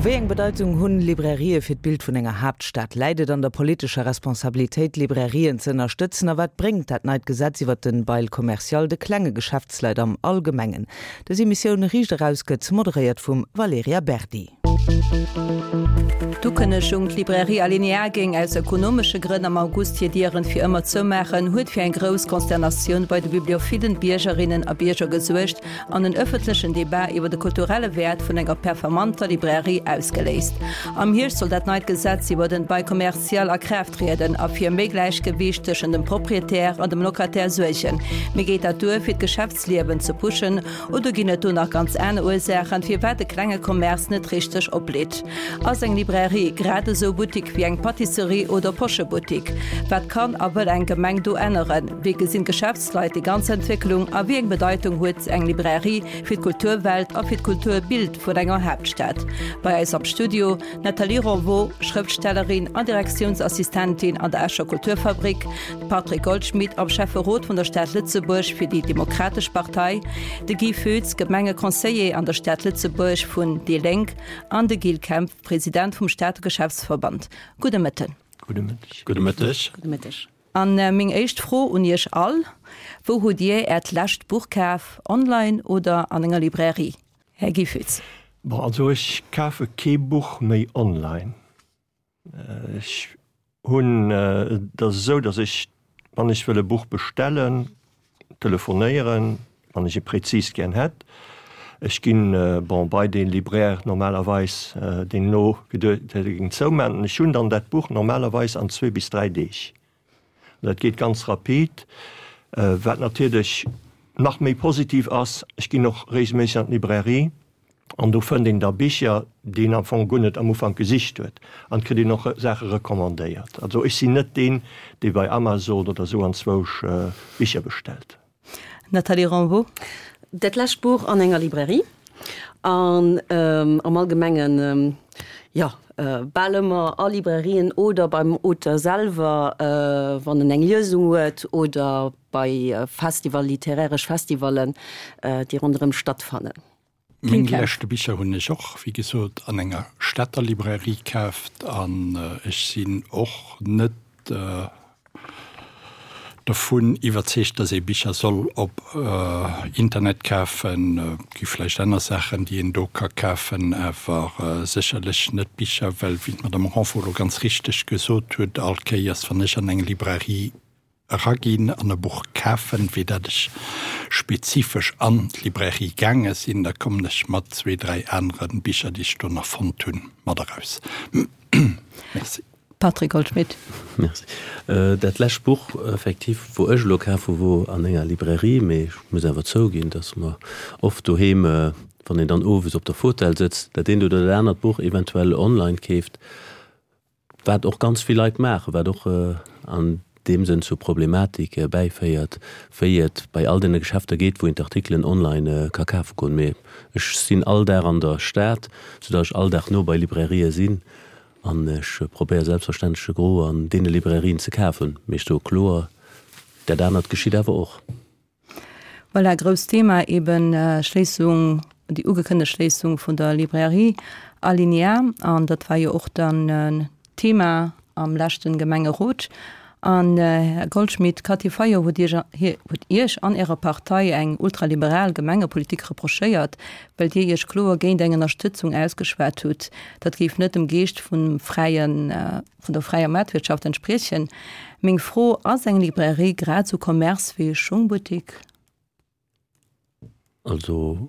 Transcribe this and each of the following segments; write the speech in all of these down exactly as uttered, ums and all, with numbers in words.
Wéi eng Bedeitung hunn Librairië fir d'Bild vun enger Haaptstad? Läit et an der politescher Responsabilitéit, Librairien ze ënnerstëtzen? A wat bréngt dat neit Gesetz iwwer den Bail commercial de klenge Geschäftsleit am Allgemengen? Dës Emissioun Riicht eraus gëtt moderéiert vum Valerija Berdi. D'Ukënnegung, d'Librairie Alinéa géing aus ökonomesche Grënn am August hir Dieren fir ëmmer zoumaachen, huet fir eng grouss Consternatioun bei de bibliophilen Biergerinnen a Bierger gesuergt an en ëffentlechen Debat iwwer de kulturelle Wäert vun enger performanter Librairie ausgeléist. Am Hierscht soll dat neit Gesetz iwwer den Bail commercial a Kraaft trieden a fir méi Gläichgewiicht tëschent dem Proprietär an dem Locataire suergen. Mee geet dat duer, fir d'Geschäftsliewen ze pushen, oder ginn et do nach ganz aner Ursaachen, firwat de klenge Commerce net richteg oplitt? Ass eng Librairie grad esou Buttik wéi eng Pâtisserie oder Poschebuttik? Wat kann a wëll eng Gemeng do änneren? Wéi gesinn d'Geschäftsleit déi ganz Entwécklung a wéi eng Bedeitung huet eng Librairie fir d'Kulturwelt a fir d'Kulturbild vun enger Haaptstad? Bei eis am Studio, d'Nathalie Ronvaux, Schrëftstellerin an Direktiounsassistentin an der Escher Kulturfabrik, de Patrick Goldschmidt am Schäfferot vun der Stad Lëtzebuerg fir déi Demokratesch Partei, de Guy Foetz, Gemengeconseiller an der Stad Lëtzebuerg vun déi Lénk, an de Gilles Kempf, President vum Stater Geschäftsverband. Gudde Mëtten. Gudde Mëtteg. Gudde Mëtteg. Gudde Mëtteg. An meng éischt Fro un Iech all, Wou hutt Dir Äert lescht Buch kaf, online oder an enger Librairie? Här Guy Foetz. Bon, also ech kafe kee Buch méi online. Ech hunn, et ass esou, datt ech, wann ech wëll e Buch bestellen, telefonéieren, wann ech e präzis gär hätt. Ech ginn, bon, bei dee Libraire normalerweis, deen elo geduet huet, e géing zoumaachen. Ech hunn dann dat Buch normalerweis an zwee bis dräi Deeg. An dat geet ganz rapid. Wat natierlech nach méi positiv ass, ech ginn och regelméisseg an d'Librairie an do fënnt een da Bicher, déi een am Fong guer net am Ufank gesicht huet an et kritt een och Saache recommandéiert. Also ech sinn net deen, dee bei Amazon oder esou anzwousch Bicher bestellt. Nathalie Rambaud. Dat lescht Buch an enger Librairie an am Allgemengen, jo, bal ëmmer a Librairien oder beim Auteur selwer, wann en eng Liesung huet, oder bei Festival, literäresch Festivallen, déi ronderëm stattfannen. Meng leschte Bicher hunn ech och, wéi gesot, an enger Stater Librairie kaaft an ech sinn och net dovun iwwerzeegt, dass ee Bicher soll op Internet kafen. Et gi vläicht aner Saachen, déi een do ka kafen, awer sécherlech net Bicher, well, wéi d'Madame Renfort elo ganz richteg gesot huet, all Kéiers, wann ech an eng Librairie eraginn an e Buch kafen, wéi dat ech spezifesch an d'Librairie gaange sinn, da kommen ech mat zwee, dräi anere Bicher, déi ech do nach fonnt hunn, mat eraus. Merci. Patrick Goldschmidt. Merci. Dat lescht Buch effektiv, wou ech elo kaf hu, wor an enger Librairie, mee ech muss awer zouginn, dass mer oft doheem, wann een dann owes op der Fautel sëtzt, dat eent oder dat anert Buch eventuell online keeft. Wat och ganz vill Leit maachen, wat och an deem Sënn zur Problematik bäiféiert, wéi et bei all deene Geschäfter geet, wou een d'Artikelen online ka kafe goen. Mee ech sinn all Dag an der Stad, soudatt ech all Dag no bei Librairië sinn an ech probéiere selbstverständlech de Gros an deene Librairien ze kafen. Mee ech soe kloer, dat anert geschitt awer och. Voilà, grousst Thema eben Schléissung, déi ugekënnegt Schléissung vun der Librairie Alinéa. An dat war jo och dann Thema am leschten Gemengerot. An, Här Goldschmidt, d'Cathy Fayot huet Iech, huet Iech an Ärer Partei eng ultraliberal Gemengepolitik reprochéiert, well Dir Iech kloer géint eng Ënnerstëtzung ausgeschwat hutt. Dat géif net dem Geescht vum fräien, vun der fräier Maartwirtschaft entspriechen. Meng Fro, Ass eng Librairie grad esou Commerce wéi e Schungbuttik? Also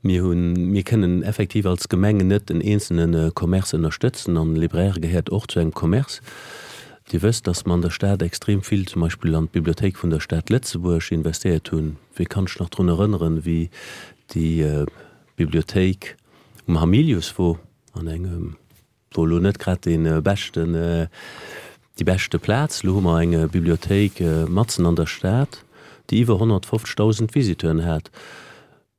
mir hunn, mir kënnen effektiv als Gemeng net en eenzelne Commerce ënnerstëtzen an Libraire gehéiert och zu engem Commerce. Dir wësst, dass mer an der Stad extrem vill zum Beispill an d'Bibliothéik vun der Stad Lëtzebuerg investéiert hunn. Wie kann sech nach drun erënneren, wéi déi Bibliothéik um Hamilius wor, an engem, wor elo net grad dee beschten, déi beschte Plaz. Elo hu mer eng Bibliothéik matzen an der Stad, déi iwwer honnertfofzegdausend Visiteuren hat.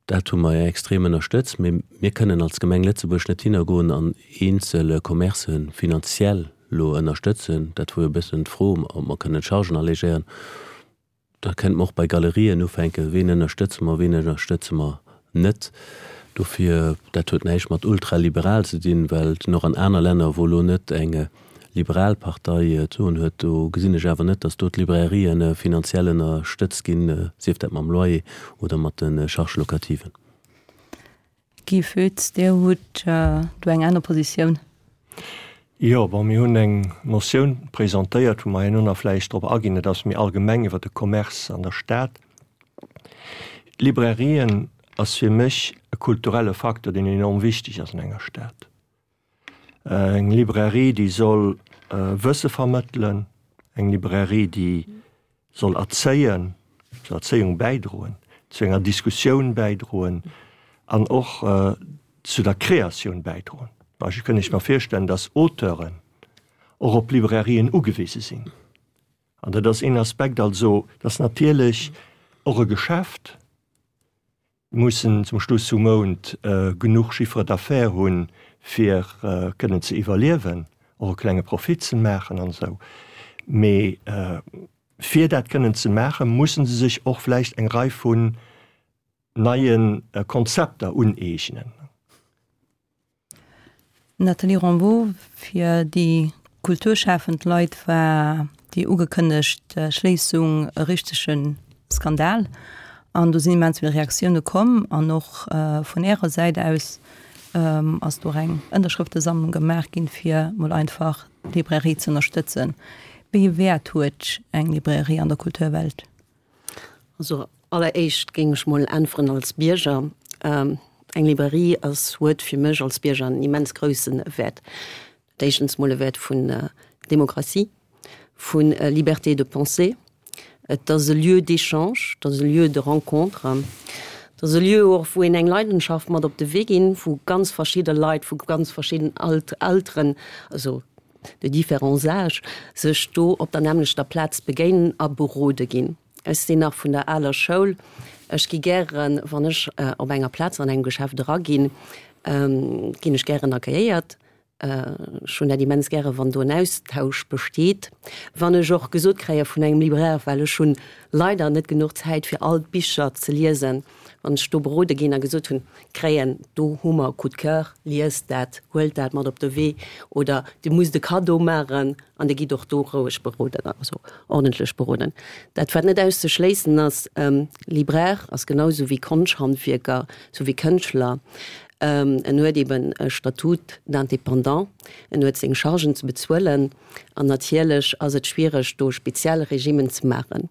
Dat hu mer extrem ënnerstëtzt. Mee mir kënnen als Gemeng Lëtzebuerg net hinnergoen an eenzel Commercë finanziell elo ënnerstëtzen. Dat wor jo e bëssen d'Fro, ob mer kënnen d'Chargen allégéieren. Da kënnte mer och bei Galerien ufänken, Ween ënnerstëtze mer, ween ënnerstëtze mer net? Dofir, dat huet näischt mat ultraliberal ze dinn, well et och an aner Länner, wou elo net eng liberal Partei d'Soen huet, do gesinn ech awer net, datt do d'Librairien finanziell ënnerstëtzt ginn, sief dat mam Loyer oder mat de Charges locativen. Guy Foetz, Dir hutt do eng aner Positioun. Jo, bon, mir hunn eng Motioun presentéiert, wou mer herno nach vläicht drop aginn. Dat ass méi allgemeng iwwert de Commerce an der Stad. D'Librairien ass fir mech e kulturelle Facteur, deen enorm wichteg ass an enger Stad. Eng Librairie, déi soll Wësse vermëttelen, eng Librairie, déi soll erzéien, zur Erzéiung bäidroen, zu enger Diskussioun bäidroen an och zu der Kreatioun bäidroen. Beispill kënn ech mer virstellen, dass Auteuren och op Librairien ugewise sinn. An dat ass een Aspekt. Also, dat ass natierlech och e Geschäft, mussen zum Schluss vum Mount genuch Chiffre d'affaires hunn, fir kënnen ze iwwerliewen, och e klenge Profit ze maachen an esou. Mee fir dat kënnen ze maachen, mussen se sech och vläicht eng Rei vun neie Konzepter uneegnen. Nathalie Rambaud, Fir déi kulturschafend Leit war déi ugekënnegt Schléissung e richtege Skandal an do sinn immens vill Reaktioune komm an och vun Ärer Säit aus ass do och eng Ënnerschrëftesammlung gemaach ginn, fir mol einfach d'Librairie ze ënnerstëtzen. Wéi ee Wäert huet eng Librairie an der Kulturwelt? Also alleréischt géing ech mol äntweren als Bierger. Eng Librairie ass, huet fir mech als Bierger en immens grousse Wäert. Éischtens mol e Wäert vun Demokratie, vu Liberté de pensée. Et ass e Lieu d'échange, et ass e Lieu de rencontre, et ass e Lieu och, wou een eng Leidenschaft mat op de Wee ginn, wou ganz verschidde Leit vu ganz verschidden Alteren, also de différents âges, sech do op der nämmlechter Plaz begéinen a berode ginn. Ech sinn nach vun der aler Schoul. Ech gi gären, wann ech op enger Plaz an engem Geschäft eraginn, ginn ech gären accueilléiert. Ech hunn dat immens gären, wann do en Austausch besteet. Wann ech och gesot kréie vun engem Libraire, well ech hunn leider net genuch Zäit fir all d'Bicher ze liesen, wann ech do berode ginn a gesot hunn kréien, do hu mer e Coup de cœur, liest dat, huelt dat mat op de Wee oder Dir musst e Cadeau maachen an Dir gitt och do roueg beroden, also ordentlech beroden. Dat wat net auszeschléissen ass, Libraire ass genau sou wéi Konschthandwierker, sou wéi Kënschtler, En huet eben e Statut d'indépendant, en huet seng Chargen ze bezuelen an natierlech ass et schwiereg do speziell Regimen ze maachen.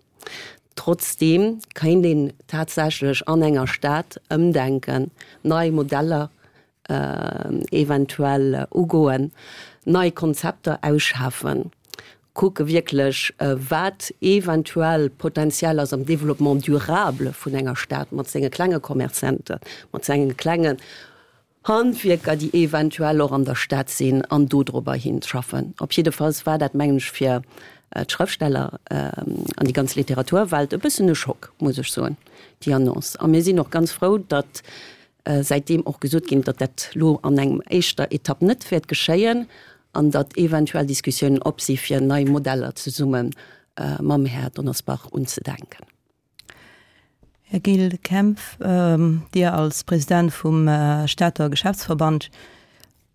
Trotzdeem kéint een tatsächlech an enger Stad ëmdenken, nei Modeller eventuell ugoen, nei Konzepter ausschaffen. Kucke wierklech, wat eventuell potenziell ass am Développement durable vun enger Stad mat senge klenge Commerçanten, mat senge klengen Handwierker, déi eventuell och an der Stad sinn, an dodrobber hinschaffen. Op jiddefalls war dat, mengen ech, fir d'Schrëftsteller an déi ganz Literaturwelt e bëssen e Schock, muss ech soen, déi Annonce. A mir sinn och ganz frou, datt säitdeem och gesot ginn, datt dat elo an engem éischter Etapp net wäert geschéien an datt eventuell Diskussiounen op si fir nei Modeller zesumme mam Här Donnersbach unzedenken. Här Gilles Kempf, Dir als President vum Stater Geschäftsverband,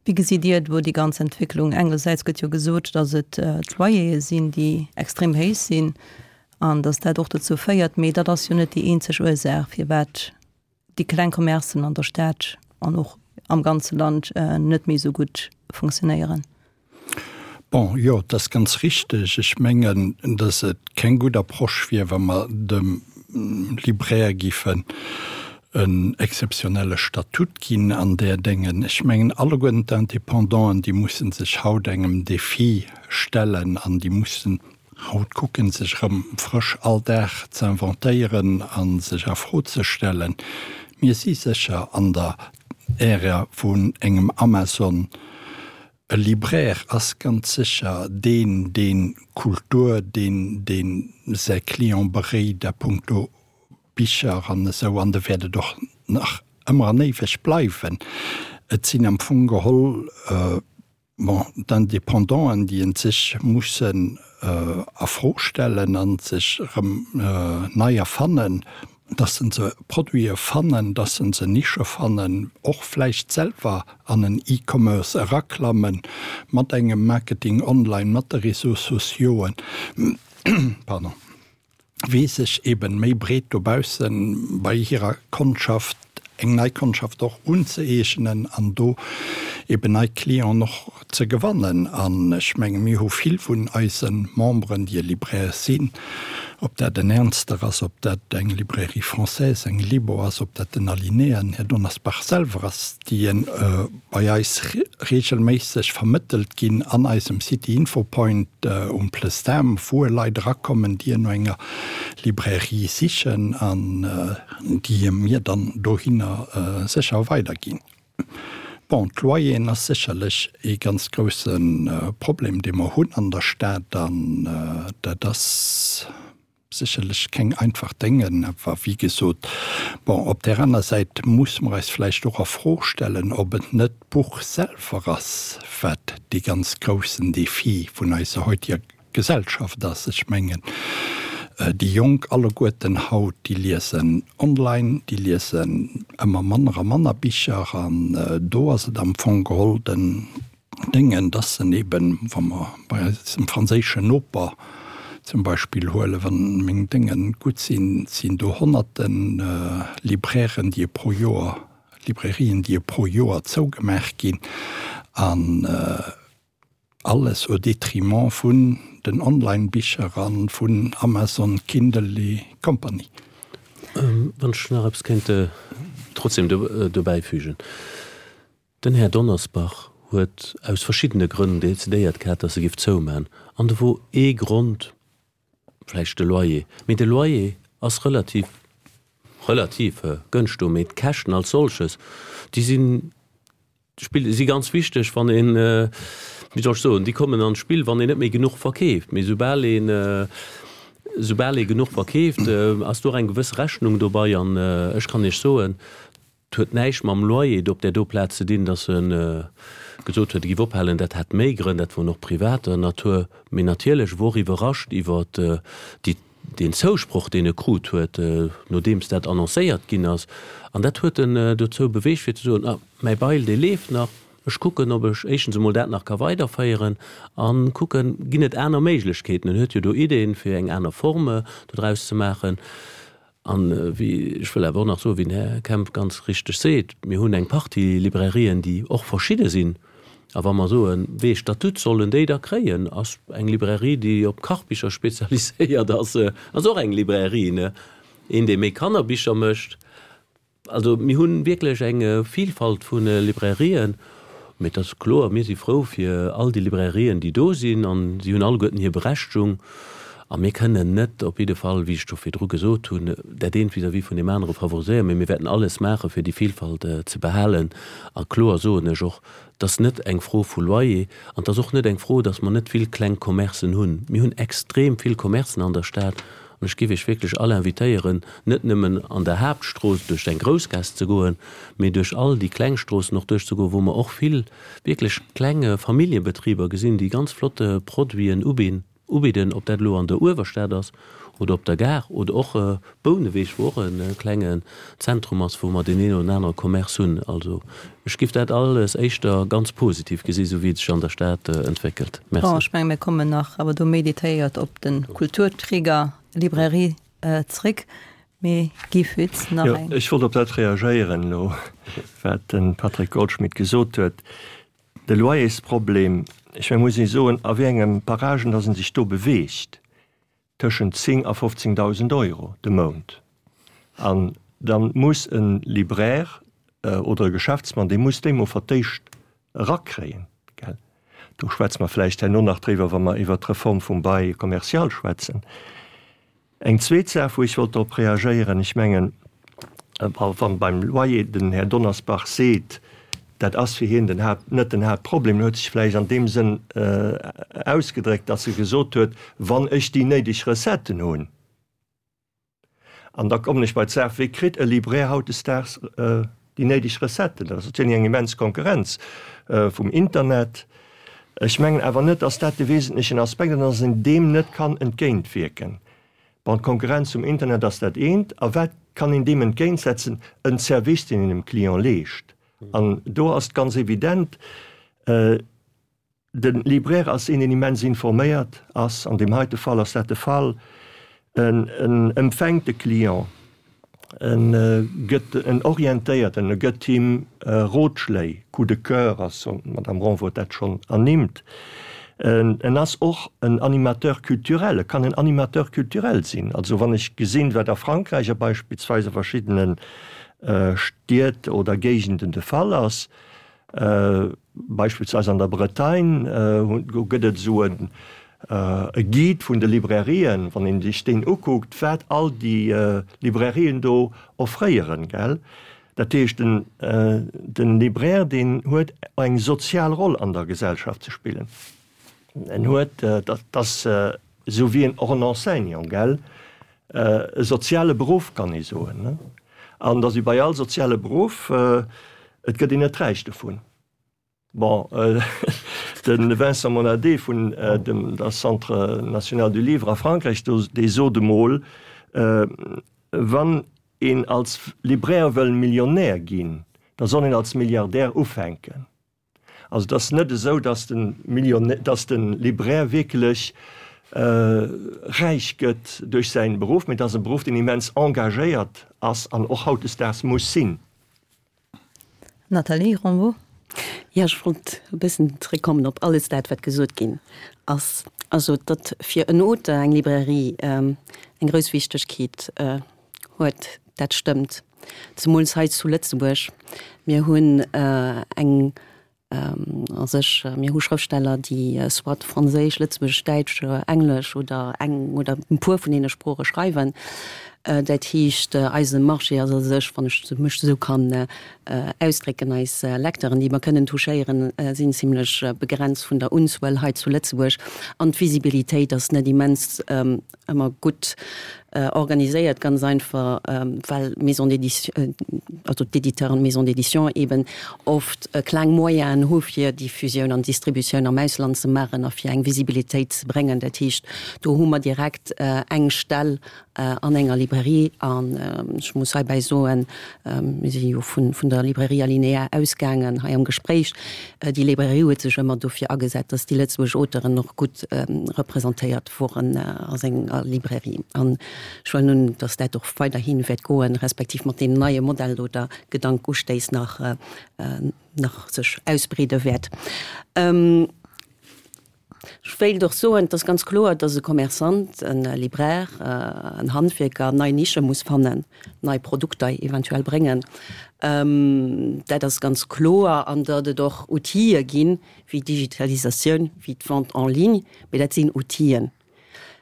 wéi gesitt Dir do déi ganz Entwécklung? Engersäits gëtt jo gesot, datt et d'Loyere sinn, déi extrem héich sinn an datt dat och dozou féiert, mee dat ass jo net déi eenzeg Ursaach, firwat déi kleng Commercen an der Stad an och am ganze Land net méi esou gutt funktionéieren. Bon, jo, et ass ganz richteg. Ech mengen, datt et keng gutt Approche wier, wa mer dem Libraire géifen en exzeptionelle Statut ginn an där Déngen. Ech mengen, alleguerten d'Indépendanten, déi musse sech haut engem Défi stellen an déi mussen Haut kucken, sech erëm frësch all Dag ze inventéieren a sech a Fro ze stellen. Mir si sécher an der Ära vun engem Amazon. E Libraire ass ganz sécher deen, deen Kultur, deen, deen säi Client beréit a puncto Bicher an esou, an de wäert et och nach ëmmer an éiweg bleiwen. Et sinn am Fong geholl Bon, d'Indépendanten, déi en sech mussen a Fro stellen a sech erëm nei erfannen, dass se se Produite fannen, dass se se Nische fannen, och vläicht selwer an en E-Commerce eraklammen, mat engem Marketing online, mat de Réseaux sociauxen, pardon, wéi sech eben méi breet dobaussen bei hirer Kondschaft, eng nei Kondschaft och unzëeegnen an do eben nei Clienten och ze gewannen. An ech menge mir hu vill vun eise Memberen, déi e Libraire sinn, ob dat en Ernster ass, ob dat eng Librairie française, eng Libo ass, ob dat den Alinéa, den Här Donnersbach selwer ass, déi bei eis regelméisseg vermëttelt ginn an eisem City Info Point um Plestan, wou Leit erakommen, déi no enger Librairie sichen an déi mir dann dohinner sécher weiderginn. Bon, d'Loyeren ass sécherlech ee ganz grousse Problem, dee mer hunn an der Stad an dat ass sécherlech keng einfach Déngen. Awer wéi gesot, bon, op där aner Säit muss mer eis vläicht och a Fro stellen, ob et net d'Buch selwer ass, wat dee ganz groussen Défi vun eiser heutiger Gesellschaft ass. Ech mengen, déi Jonk alleguerten haut, déi liesen online, déi liesen ëmmer manner a manner Bicher an do ass et am Fong geholl den Déngen, dass en eben, wa mer bei eisem franséischen Noper zum Beispill huelen, wann meng Dénge gutt sinn, sinn do honnerte Librairen, déi pro Joer, Librairien, déi pro Joer zougemaach ginn an alles au détriment vun den Online-Bicher a vun Amazon, Kindle et compagnie. Wann ech nach eppes kéint trotzdem dobäifügen. Den Här Donnersbach huet aus verschiddene Grënn decidéiert gehat, dass e giff zoumaachen. An do wor ee Grond vläicht de Loyer. Mee de Loyer ass relativ, relativ gënscht do, mee d'Käschten als solches, déi sinn, spill, si ganz wichteg, wann een, wéi soll ech soen, déi kommen an d'Spill, wann een net méi genuch verkeeft. Mee soubal een, soubal ee genuch verkeeft, ass do och eng gewëss Rechnung dobei. An ech kann Iech soen, Et huet näischt mam Loyer do op där do Plaz ze dinn, datt e gesot huet, e giff ophalen. Dat hat méi Grënn, dat woren och privater Natur. Mee natierlech wor iwwerrascht iwwer déi, deen Zousproch, deen e krut huet, nodeems dat annoncéiert ginn ass. An dat huet en dozou beweegt, fir ze soen, Ah, mäi Bail, dee leeft nach. Ech kucken, ob ech éischtens emol dat nach ka weiderféieren a kucken, ginn et aner Méiglechkeeten. En huet jo do Ideeën, fir eng aner Forme dodraus ze maachen. An wéi, ech wëll awer och nach soen, wéi den Här Kemp ganz richteg seet, mir hunn eng Partie Librairien, déi och verschidde sinn. A wa mer soen, wéi ee Statut sollen déi da kréien, ass eng Librairie, déi op Kachbicher spezialiséiert ass, ass och eng Librairie, ne? Een, dee méi Kannerbicher mécht. Also mir hu wierklech eng Vielfalt vu Librairien. Mee et ass kloer, mir si frou fir all déi Librairien, déi do sinn, a si hunn alleguerten hir Berechtigung. A mir kënnen net, op jidde Fall, wéi ech scho virdru gesot hunn, dat eent vis-à-vis vun deem anere favoriséieren, mee mir wäerten alles maachen, fir déi Vielfalt ze behalen. A kloer soen ech och, et ass net eng Fro vu Loyer an et ass och net eng Fro, datt mer net vill kleng Commercen hunn. Mir hunn extrem vill Commercen an der Stad. An ech géif Iech wierklech all invitéieren, net nëmmen an der Haaptstrooss duerch eng Groussgaass ze goen, mee duerch all déi kleng Stroossen och duerchzegoen, wou mer och vill wierklech kleng Familljebetriber gesinn, déi ganz flott Produiten ubidden, ob dat elo an der Uewerstad ass oder op der Gare oder och Bouneweg, wou och e klengen Zentrum ass, wou mer deen een oder anere Commerce hunn. Also ech géif dat alles éischter ganz positiv gesi sou wéi et sech an der Stad entwéckelt. Merci. Bon, ech menge mir kommen nach awer do méi detailléiert op de Kulturträger Librairie zréck. Mee Guy Foetz, nach Jo, eng. ech wollt op dat reagéieren elo, wat de Patrick Goldschmidt gesot huet. De Loyersproblem, ech menge muss ee soen, a wéi engem Paragen datt e sech do beweegt. Tëschent zéng a fofzéngdausend Euro de Mount. An da muss e Libraire oder e Geschäftsmann, dee muss déi mol fir d'éischt erakréien, gell. Do schwätze mer vläicht herno nach driwwer, wa mer iwwert d'Reform vum Bail commercial schwätzen. Eng zweet Saach, wou ech wollt drop reagéieren, ech mengen, wann beim Loyer den Här Donnersbach seet, dat ass fir hien den Haupt, net den Hauptproblem, en huet sech vläicht an deem Sënn ausgedréckt, datt e gesot huet, wann ech déi néideg Recetten hunn. An da kommen ech bei d'Saach, Wéi kritt e Libraire hautdesdaags déi néideg Recetten? Dat ass natierlech eng immens Konkurrenz vum Internet. Ech mengen awer net, datt dat de wesentlechen Aspekt ass an datt een deem net kann entgéintwierken. Bon, d'Konkurrenz um Internet ass dat eent. A wat kann een deem entgéintsetzen? En Service, deen een dem Client leescht. An do ass et ganz evident, de Libraire ass een, deen immens informéiert ass. An deem heite Fall ass dat de Fall. En empfänkt de Client, en gëtt, en orientéiert en, e gëtt him Rotschléi, Coup de cœur ass, d'Madame Ronvaux huet dat schonn ernimmt. En ass och en Animateur culturel, e kann en Animateur culturel sinn. Also wann ech gesinn, wat a Frankräich a beispillsweis a verschiddene Stied oder Géigenden de Fall ass, beispillsweis an der Bretagne, do gëtt et esou e Guide vun de Librairien, wann een sech deen ukuckt, wat all déi Librairien do offréieren, gell. Dat heescht, den Libraire, deen huet eng sozial Roll an der Gesellschaft ze spillen. En huet, dat ass esou wéi och en Enseignant, gell, e soziale Beruff, kann ee soen. An et ass wéi bei all soziale Beruff, et gëtt een net räich dovun. Bon, de Vincent Monadé vun dem der Centre national du livre a Frankräich, dee sot emol, Wann een als Libraire wëll Millionär ginn, da soll een als Milliardär ufänken. Also et ass net esou, datt de Millionär, datt de Libraire wierklech räich gëtt duerch säin Beruff, mee et ass e Beruff, deen immens engagéiert ass an och hautdesdaags muss sinn. Nathalie Rambaud. Jo, ech wollt e bëssen zréckkommen op alles dat, wat gesot ginn ass. Also, datt fir en Auteur eng Librairie eng grouss Wichtegkeet huet, dat stëmmt. Zemools hei zu Lëtzebuerg. Mir hunn eng a sech, mir hu Schrëftsteller, déi soit Franséisch, Lëtzebuergesch, Däitsch, Englesch oder eng oder e puer vun deene Sprooche schreiwen. Dat heescht, eise Marché ass a sech, wann ech mech esou kann ausdrécken, eis Lecteuren, déi mer kënnen touchéieren, sinn zimlech begrenzt vun der Unzuel hei zu Lëtzebuerg. An d'Visibilitéit ass net immens ëmmer gutt organiséiert, ganz einfach, well d'Maisons d'édition, also d'Éditeuren, d'Maisons d'édition eben oft kleng Moyenen hu fir Diffusioun an Distributioun am Ausland ze maachen a fir eng Visibilitéit ze bréngen. Dat heescht, do hu mer direkt eng Stell an enger Librairie. An ech muss heibäi soen, mir si jo vun der Librairie Alinéa ausgaangen hei am Gespréich, déi Librairie huet sech ëmmer dofir agesat, dass déi lëtzebuergesch Auteuren och gutt representéiert woren a senger Librairie. An ech huelen un, dass dat och weiderhi wäert goen, respektiv mat deem neie Modell do der Gedankustéiss nach nach sech ausbreede wäert. Ech wéilt och soen, et ass ganz kloer, dass e Commerçant, e Libraire, en Handwierker nei Nische muss fannen, nei Produkter eventuell bréngen. Dat ass ganz kloer. An datt et och Outile ginn, wéi d'Digitalisatioun, wéi d'Vente en ligne, mee dat sinn Outilen.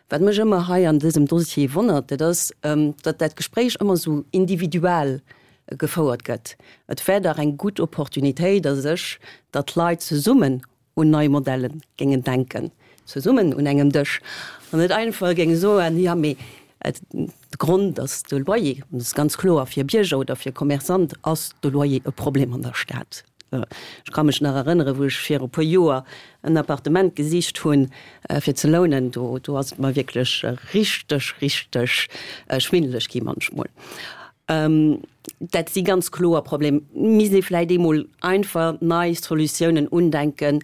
Wat mech ëmmer hei an dësem Dossier wonnert, dat ass, datt dat Gespréich ëmmer esou individuell gefouert gëtt. Et wär dach eng gutt Opportunitéit a sech, datt d'Leit zesummen un nei Modelle géingen denken, zesummen un engem Dësch, an net einfach géinge soen, jo mee de Grond ass de Loyer. An et ass ganz kloer, fir Bierger oder fir Commerçant ass de Loyer e Problem an der Stad. Ech ka mech nach erënneren, wou ech viru puer Joer en Appartement gesicht hunn, fir ze lounen, do do ass et mer wierklech richteg, richteg schwindeleg gi munchmol. Dat si ganz kloer Problemer. Misst ee vläicht eemol einfach nei Solutiounen undenken,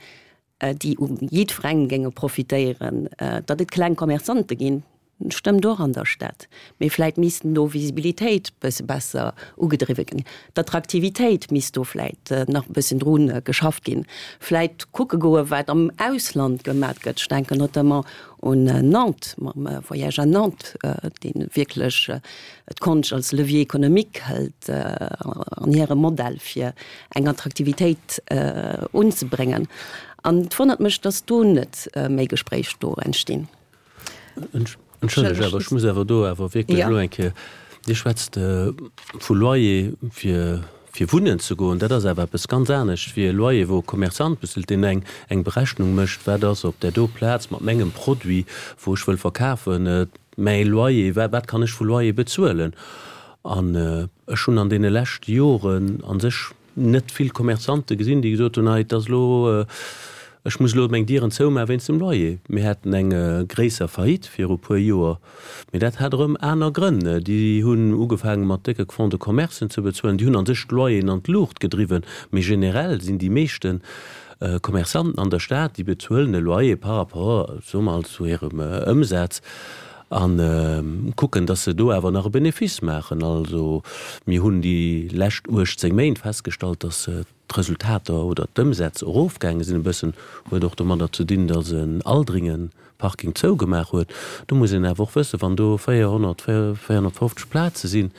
déi u jiddwerengem géinge profitéieren. Datt et kleng Commerçante ginn, stëmmt och an der Stad, mee vläicht missten do Visibilitéit bësse besser ugedriwwe ginn. D'Attraktivitéit misst do vläicht nach e bëssen dru geschafft ginn. Vläicht kucke goe wat am Ausland gemat gëtt. Ech denken notamment un Nantes mam Voyage à Nantes, dee wierklech d'Konscht als Levier économique hëlt an hirem Modell fir eng Attraktivitéit unzebréngen. An et wonnert mech, datt do net méi Gespréich do entstinn. Entschëllegt, awer ech muss awer do awer wierklech elo eng Kéier, Dir schwätzt vu Loyer fir fir wunnen ze goen, dat ass awer eppes ganz anescht wéi e Loyer, wou e Commerçant bezilt, deen eng eng Berechnung mécht, wat ass op där do Plaz mat mengem Produit, wou ech wëll verkafen, mäi Loyer, wat kann ech vu Loyer bezuelen. An ech hunn an deene leschte Joren a sech net vill Commerçante gesinn, déi gesot hunn, hei et ass elo Ech muss elo meng Dieren zoumaache wéinst dem Loyer. Mir haten eng gréisser Faillite viru puer Joer, mee dat hat erëm aner Grënn. Déi hunn ugefaange mat décke Fonds de commercen ze bezuelen, déi hunn a sech d'Loyeren an d'Luucht gedriwwen. Mee generell sinn déi meeschte Commerçanten an der Stad, déi bezuelen e Loyer par rapport, soe mer, zu hirem Ëmsaz a kucken, datt se do awer nach e Benefice maachen. Also mir hunn déi lescht uechtzéng Méint festgestallt, datt d'Resultater oder d'Ëmsätz erofgaange sinn e bëssen, huet och domadder ze dinn, datt en Aldringen Parking zougemaach huet. Do muss een awer och wëssen, wann do véierhonnert, véierhonnertfofzeg Plaze sinn,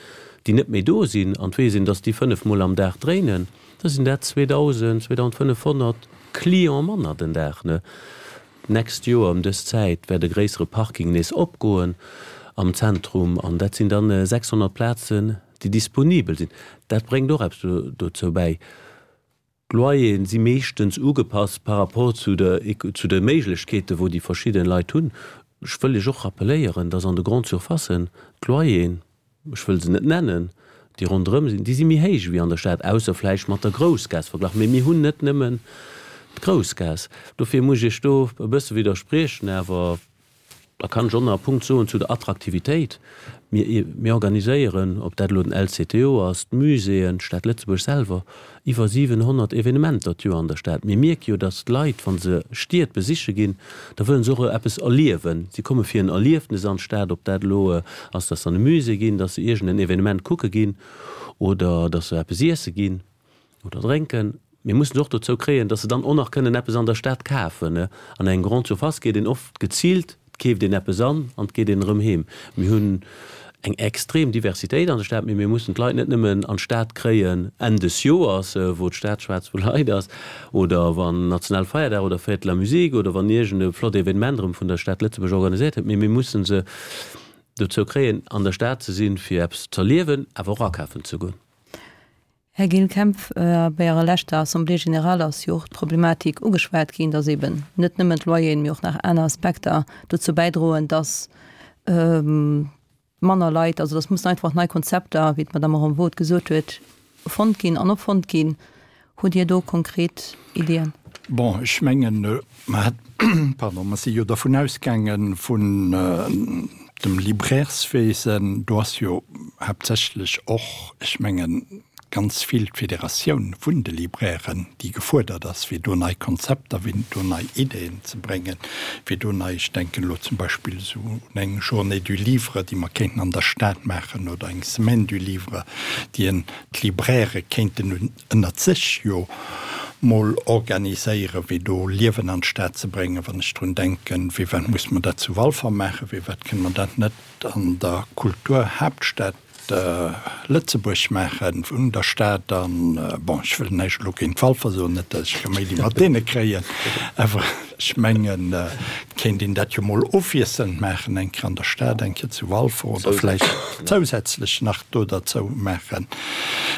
déi net méi do sinn, an et weess een, datt déi fënnef Mol am Dag dréinen, da sinn dat zweedausend, zweedausendfënnefhonnert Cliente manner den Dag. D'nächst Joer ëm dës Zäit wäert e gréissere Parking nees opgoen am Zentrum an dat sinn dann sechshonnert Plazen, déi disponibel sinn. Dat bréngt och eppes dozou bäi. D'Loyeren si meeschtens ugepasst par rapport zu de zu de Méiglechkeeten, wou déi verschidden Leit hunn. Ech wëll Iech och rappeléieren, dass an de Grande-surfacen d'Loyeren, ech wëll se net nennen, déi ronderëm sinn, déi si méi héich wéi an der Stad, ausser vläicht mat der Groussgaass verglach. Mee mir hunn net nëmmen d'Groussgaass. Dofir muss ech Iech do e bësse widderspriechen. Awer da kann ech och nach e Punkt soen zu der Attraktivitéit. Mir, mir organiséieren, ob dat elo den L C T O ass, d'Muséeën, d'Stad Lëtzebuerg selwer, iwwer siwenhonnert Evenementer d'Joer an der Stad. Mir mierke jo, datt d'Leit, wa se Stied besiche ginn, da wëllen se och eppes erliewen. Si komme fir en Erliefnes an d'Stad, ob dat elo ass, datt se an e Musée ginn, datt se iergend en Evenement kucke ginn oder datt se eppes iesse ginn oder drénken. Mir mussen se och dozou kréien, datt se dann och nach kënnen eppes an der Stad kafen. An eng Grande Surface geet een oft geziilt, et keeft een eppes an an et geet een erëm heem. Mir hunn eng extrem Diversitéit an der Stad, mee mir mussen d'Leit net nëmmen an d'Stad kréien Enn des Joers, wou d'Stad schwaarz vu Leit ass, oder wann Nationalfeierdag oder Fête de la Musique oder wann iergend e flott Evenement erëm vun der Stad Lëtzebuerg organiséiert gëtt, mee mir mussen se dozou kréien, an der Stad ze sinn, fir eppes z'erliewen, awer och akafen ze goen. Här Gilles Kempf, bei Ärer leschter Assemblée générale ass jo och d'Problematik ugeschwat ginn, dass eben net nëmmen d'Loyeren, mee och nach aner Aspekter dozou bäidroen, dass manner Leit, also dass mussen einfach nei Konzepter, wéi d'Madame Henvaux et gesot huet, fonnt ginn an erfonnt ginn. Hutt Dir do konkret Ideeën? Bon, ech mengen, mer hat, pardon, mer si jo dervun ausgaange vun dem Librairswesen, do ass jo haaptsächlech och, ech mengen, ganz vill d'Federatioun vun de Librairen, déi gefuerdert ass, fir do nei Konzepter, fir do nei Ideeën ze bréngen, fir do nei, ech denken elo zum Beispill esou un eng Journée du livre, déi mer kéinten an der Stad maachen, oder eng Semaine du livre, déi en d'Libraire kéinten ënnert sech jo mol organiséieren, fir do Liewen an d'Stad ze bréngen. Wann ech drun denken, firwat muss mer dat zu Walfer maachen, firwat kënne mer dat net an der Kulturhaaptstad Lëtzebuerg maachen, vun der Stad an, bon, ech wëll näischt elo géint Walfer soen, net datt ech Kaméidi mat deene kréien, awer ech mengen, et kéint een dat jo mol ofwiesselnd maachen, eng Kéier an der Stad, eng Kéier zu Walfer oder vläicht zousätzlech nach do derzou maachen.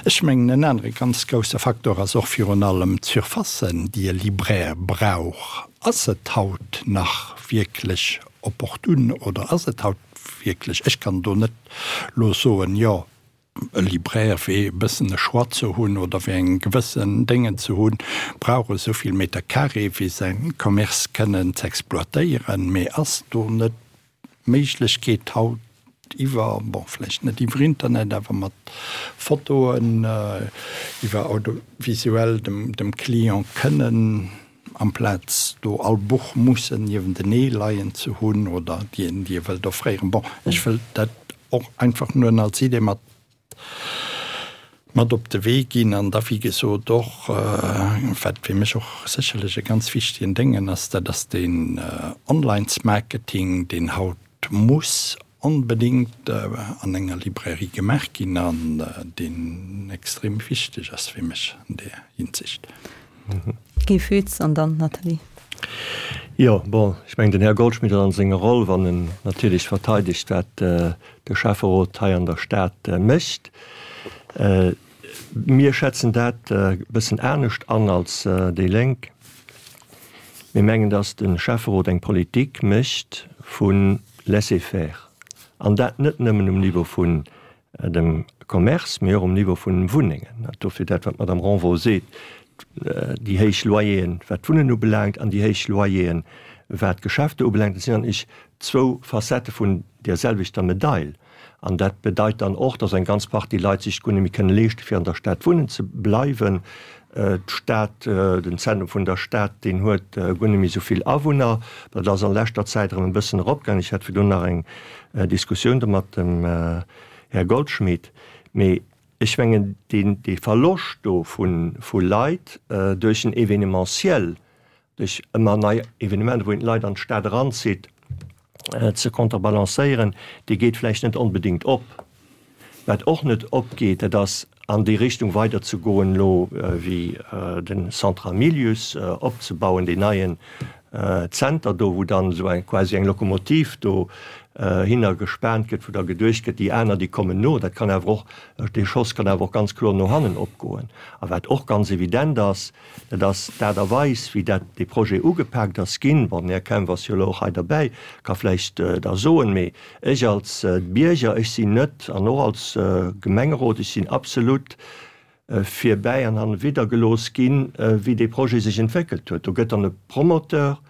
Ech mengen, en anere ganz grousse Faktor ass och virun allem d'Surfacen, déi e Libraire brauch. Ass et haut nach wierklech opportun oder ass et haut wierklech, ech kann do net lo soen, jo, e Libraire fir e bëssen e Choix ze hunn oder fir eng gewëssen Déngen ze hunn, brauch esou vill Meter carré fir säin Commerce kënnen z'exploitéieren, mee ass do net d'Méiglechkeet haut iwwer, bon, vläicht net iwwer Internet, awer mat Fotoen, iwwer audiovisuell dem dem Client kënnen amplaz do all Buch mussen niewentenee leien ze hunn oder déi een déi e wëllt offréieren. Bon, ech wëll dat och einfach nëmmen als Idee mat mat op de Wee ginn an da wéi gesot och, wat fir mech och sécherlech e ganz wichtigen Déngen ass, dat ass deen Onlinesmarketing, deen haut muss onbedéngt an enger Librairie gemaach ginn an deen extrem wichteg ass fir mech an där Hinsicht. Guy Foetz an dann Nathalie. Jo, bon, ech mengen, den Här Goldschmidt ass an senger Roll, wann en natierlech verteidegt, wat de Schäfferot hei an der Stad mécht. Mir schätzen dat e bëssen anescht an als déi Lénk. Mir mengen, dass de Schäfferot eng Politik mécht vu Laisser-faire, an dat net nëmmen um Niveau vun dem Commerce, mee och um Niveau vun Wunnengen. Dofir dat, wat d'Madame Renvaux seet, déi héich Loyeren, wat d'Wunnen ubelaangt, an déi héich Loyeren, wat d'Geschäfte ubelaangt, dat sinn an ech zwou Facettë vun där selwechter Medail. An dat bedeit dann och, dass eng ganz Partie Leit sech guer net méi kënne leeschte fir an der Stad wunnen ze bleiwen. D'Stad, den Zentrum vun der Stad, deen huet guer net méi esou vill Awunner. Dat ass an leschter Zäit erëm e bëssen eropgaangen. Ech hat virdrun nach eng Diskussioun do mat dem Här Goldschmidt. Mee ech mengen, deen, dee Verloscht do vu Leit duerch en Événementiel, duerch ëmmer nei Evenementer, wou een d'Leit an d'Stad eranzitt, ze konterbalancéieren, dee geet vläicht net onbedéngt op. Wat och net opgeet, dat ass an déi Richtung weiderzegoen elo wéi de Centre Hamilius opzebauen, deen neien Zenter do, wou dann esou eng quasi eng Lokomotiv do hinner gespaant gëtt, wou da geduecht gëtt, déi aner, déi kommen no. Dat kann awer och, dee Schoss kann awer och ganz kloer no hannen opgoen. A wat och ganz evident ass, dat ass d'Aart a Weis, wéi dat, dee Projet ugepaakt ass ginn. Bon, den Här Kempf ass jo elo och hei derbäi, ka vläicht da soen, mee ech als Bierger, ech sinn net, an och als Gemengerot, ech sinn absolut virbäi an hanne gelooss ginn, wéi dee Projet sech entwéckelt huet. Do gëtt dann e Promoteur,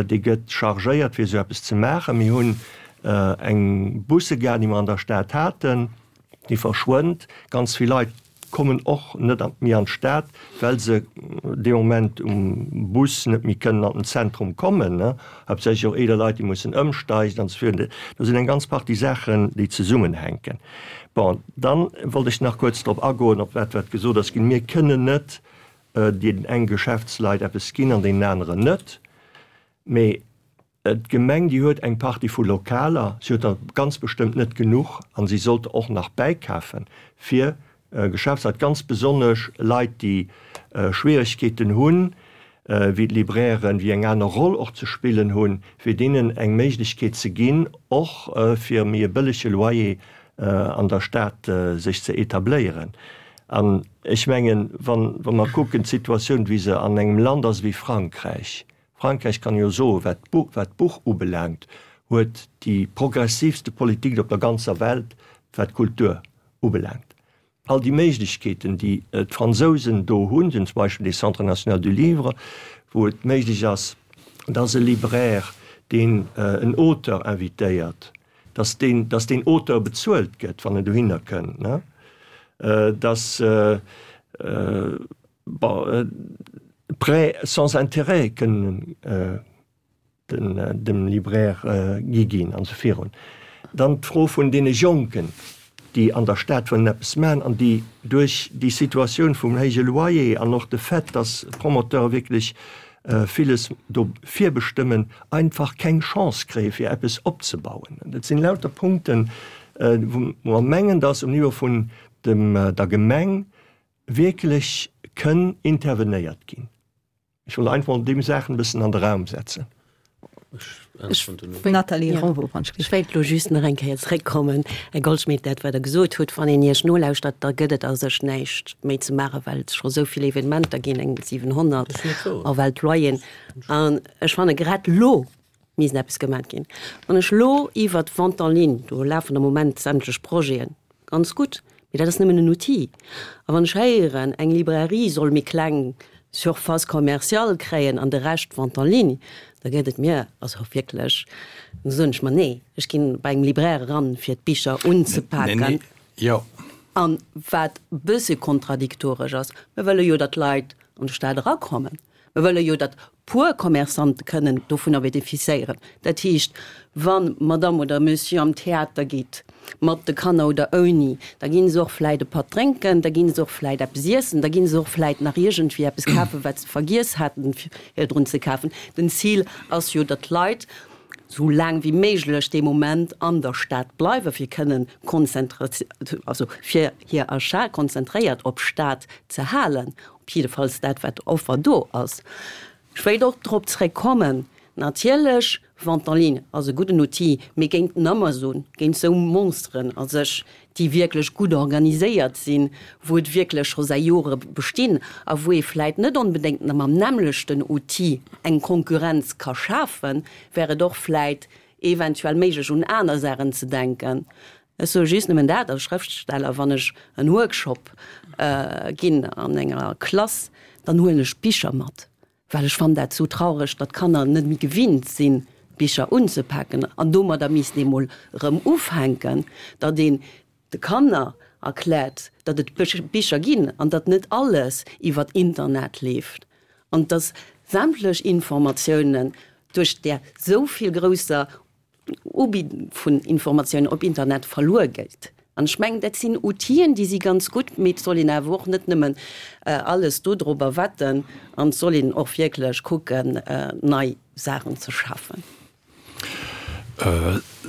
dee gëtt chargéiert, fir esou eppes ze maachen. Mir hunn eng Bussegare, déi mer an der Stad haten, déi verschwënnt. Ganz vill Leit kommen och net méi an d'Stad, well se dee Moment um Bus net méi kënnen an den Zentrum kommen, haaptsächlech och eeler Leit, déi mussen ëmsteigen an esou virun. Do sinn eng ganz Partie Saachen, déi zesummenhänken. Bon, dann wollt ech nach kuerz drop agoen, op dat, wat gesot ass ginn. Mir kënnen net deenen eng Geschäftsleit eppes ginn an deenen aneren net. Mee d'Gemeng, déi huet eng Partie vu Lokaler, si huet der ganz bestëmmt net genuch a si sollt och nach bäikafen, fir Geschäftsleit, ganz besonnesch Leit, déi Schwieregkeeten hunn, wéi d'Librairen, déi eng aner Roll och ze spillen hunn, fir deenen eng Méiglechkeet ze ginn, och fir méi e bëllege Loyer an der Stad sech ze etabléieren. An ech mengen, wa mer kucken d'Situatioun, wéi se an engem Land ass wéi Frankräich, Frankräich kann jo soen, wat d'Buch ubelaangt, huet déi progressivste Politik op der ganzer Welt, wat d'Kultur ubelaangt. All déi Méiglechkeeten, déi d'Fransousen do hunn, sinn zum Beispill dee Centre national du livre, wou et méiglech ass, dass e Libraire, deen en Auteur invitéiert, dass deen, dass deen Auteur bezuelt gëtt, wann en dohinner kënnt, ne, dass, bon, Prêts sans intérêt kënnen dem Libraire gi ginn an esou virun. Dann d'Fro vun deene Jonken, déi an der Stad wëllen eppes maachen an déi duerch déi Situatioun vum héije Loyer an och de Fait, dass d'Promoteure wierklech villes do virbestëmmen, einfach keng Chance kréie fir eppes opzebauen. Dat sinn lauter Punkten, wou mer mengen, dass um Niveau vun der Gemeng wierklech kënn intervenéiert ginn. Ech wollt einfach mol déi Saachen e bëssen an de Raum setzen. Nathalie Renvaux, wann ech wéilt elo just nach eng Kéier zréckkommen, Här Goldschmidt, dat wat Der gesot hutt, wann een Iech nolauschtert, da gëtt et a sech näischt méi ze maachen, well et scho esou vill Evenementer ginn, eng siwenhonnert, a well d'Loyeren, an ech fanne grad elo misst eppes gemat ginn. Wann ech elo iwwert d'Vente en ligne, do lafen am Moment sämtlech Projeten, ganz gutt, mee dat ass nëmmen en Outil. A wann ech héieren, eng Librairie soll méi kleng Surface commerciale kréien an de Rescht Vente en ligne, da gëtt et mir also wierklech, da soen ech mer, nee, ech ginn bei engem Libraire eran, fir d'Bicher unzepaken. An wat e bësse kontradiktoresch ass, mir wëlle jo, datt d'Leit an de Stad erakommen. Mir wëlle jo, datt puer Commerçante kënnen dovunner bénéficiéieren. Dat heescht, wa Madame oder Monsieur am Theater geet, mat de Kanner oder ouni, da gi se och vläit e Patt drénken, da gi se och vläit eppes iessen, da gi se och vläit nach iergendwéi eppes kafen, wat se vergiess haten virdrun ze kafen. Den Zil ass jo, datt d'Leit esou laang wéi méiglech dee Moment an der Stad bleiwen, fir kënnen also fir hir Achat konzentréiert op Stad ze halen. Op jiddefalls dat, wat Offer do ass. Ech wéilt och drop zréckkommen, natierlech, Vente en ligne ass e gudden Outil, mee géint den Amazon, géint esou Monsteren a sech, déi wierklech gutt organiséiert sinn, wou et wierklech scho säi Jore bestinn a wou ee vläit net onbedéngt mam nämmlechten Outil eng Konkurrenz ka schafen, wär et och vläit eventuell méiglech un aner Saachen ze denken. Ech soe just nëmmen dat als Schrëftsteller, wann ech en Workshop ginn an enger Klass, dann huelen ech Bicher mat, well ech fannen dat sou traureg, datt d'Kanner net méi gewinnt sinn, Bicher unzepaken an domadder misst ee mol erëm ufänken, datt een de Kanner erkläert, datt et Bicher ginn an datt net alles iwwer Internet leeft an datt sämtlech Informatiounen duerch där sou vill grousser Ubi vun Informatiounen op Internet verluer geet. An ech mengen, dat sinn Outien, déi si ganz gutt, mee et soll een awer och net nëmmen alles dodrobber wetten an et soll een och wierklech kucken, nei Saachen ze schafen.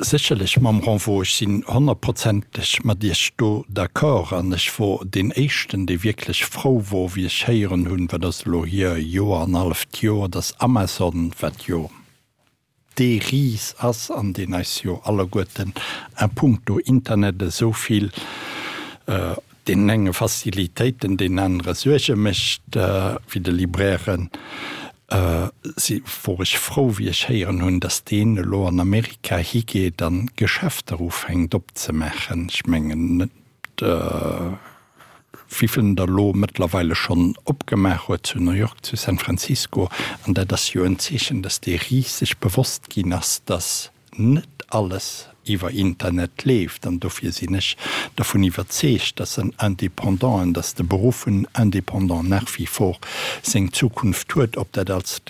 Sécherlech, Mme Renvaux, ech sinn honnertprozenteg mat Iech do d'accord. An ech wor deen Éischten, dee wierklech frou wor, wéi ech héieren hunn, wat ass elo hier, e Joer, an halleft Joer, dass Amazon, wat jo dee Ris ass an deen eis jo alleguerten a puncto Internet esou vill, deenen enge Facilitéiten, deenen anere Suerge mécht, wéi de Librairen, si wor ech frou, wéi ech héieren hunn, dass deen elo an Amerika higeet an Geschäfter ufänkt opzemaachen. Ech mengen net, wéivill en der elo mëttlerweile schonn opgemaach huet, zu New York, zu San Francisco. An dat ass jo en Zeechen, dass dee Ris sech bewosst ginn ass, dass net alles iwwer Internet leeft. An dofir sinn ech dervun iwwerzeegt, dass en Indépendant an dass de Beruff vun Indépendant nach wie vor seng Zukunft huet, ob dat als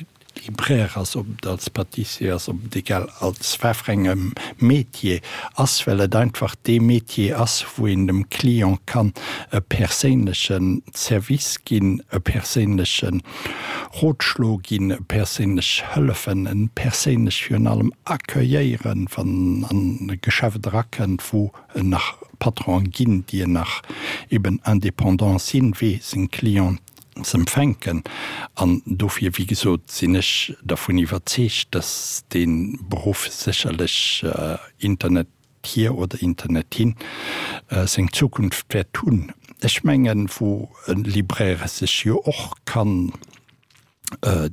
Libraire ass, ob et als Pâtissier ass, ob et egal als wat fir engem Métier ass, well et einfach dee Métier ass, wou een dem Client kann e perséinleche Service ginn, e perséinleche Rotschlo ginn, e perséinlech hëllefen, en perséinlech virun allem accueilléieren, wann en an e Geschäft erakënnt, wou en nach Patronen ginn, déi en nach eben indépendant sinn, wéi seng Clienten z'empfänken. An dofir, wéi gesot, sinn ech dervun iwwerzeegt, dass dee Beruff sécherlech, Internet hier oder Internet hin, seng Zukunft wäert hunn. Ech mengen, wou e Libraire sech jo och kann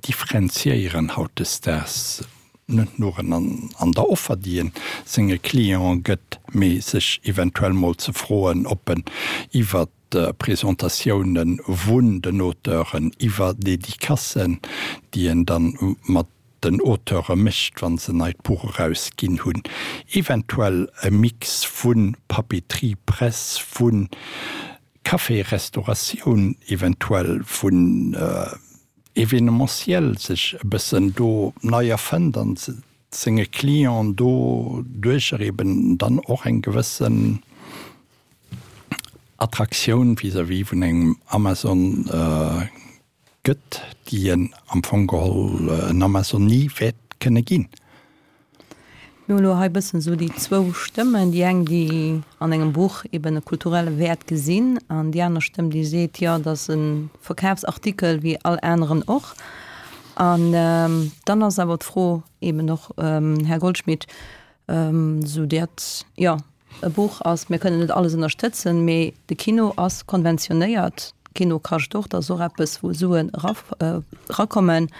differenziéieren hautdesdaags, net nuren an der Offer, déi en senge Clienten gëtt, mee sech eventuell mol ze froen, ob en iwwert Presentatiounen vun den Auteuren, iwwer Dedicacen, déi en dann mat den Auteure mécht, wa se neit Buch erausginn hunn, eventuell e Mix vu Papeterie, Press, vu Café, Restauratioun, eventuell vun Evenementiel sech e bëssen do nei erfënnt an senge Clienten do duercher eben dann och eng gewëssen Attraktioun vis-à-vis vun engem Amazon gëtt, déi en am Fong geholl en Amazon ni wäert kënne ginn. Mir hunn elo hei e bëssen esou déi zwou Stëmmen, déi eng, déi an engem Buch eben e kulturelle Wäert gesinn, an déi aner Stëmm, déi seet, jo, et ass e Verkafsartikel wéi all aneren och. An dann ass awer d'Fro eben och, Här Goldschmidt, esou dat, jo, e Buch ass, mir kënnen net alles ënnerstëtzen, mee de Kino ass konventionéiert, Kino kascht och, dat ass och eppes, wou Suen erakommen.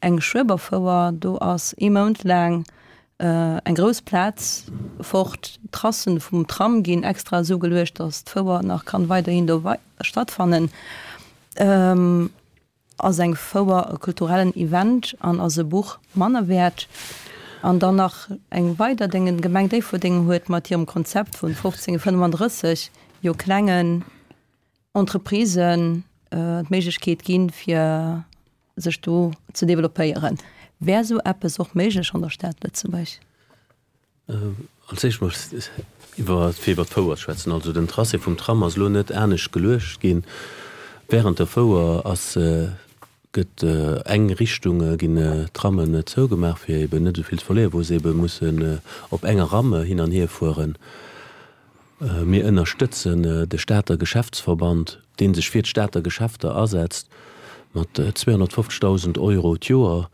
Eng Schueberfouer, do ass ee Mount laang eng grouss Plaz fort, d'Tracen vum Tram ginn extra esou geluecht, datt d'Fouer nach kann weiderhin do stattfannen. Ass eng Fouer e kulturellen Event an ass e Buch manner wäert? An dann nach eng weider Déngen, d'Gemeng Déifferdeng huet mat hirem Konzept vun fofzéng fënnefandrësseg jo klengen Entreprisen d'Méiglechkeet ginn, fir sech do ze developpéieren. Wär esou eppes och méiglech an der Stad Lëtzebuerg? Als éischt mol iwwer, fir iwwer d'Fouer ze schwätzen. Also den Tracé vum Tram ass elo net anescht geluecht ginn. Während der Fouer ass, gëtt eng Richtung, ginn d'Trammen zougemaach, fir eben net esou vill ze verléieren, wou se ebe mussen op enger Ramme hin an hier fueren. Mir ënnerstëtzen de Stater Geschäftsverband, dee sech fir d'Stater Geschäfter asetzt, mat zweehonnertfofzegdausend Euro d'Joer.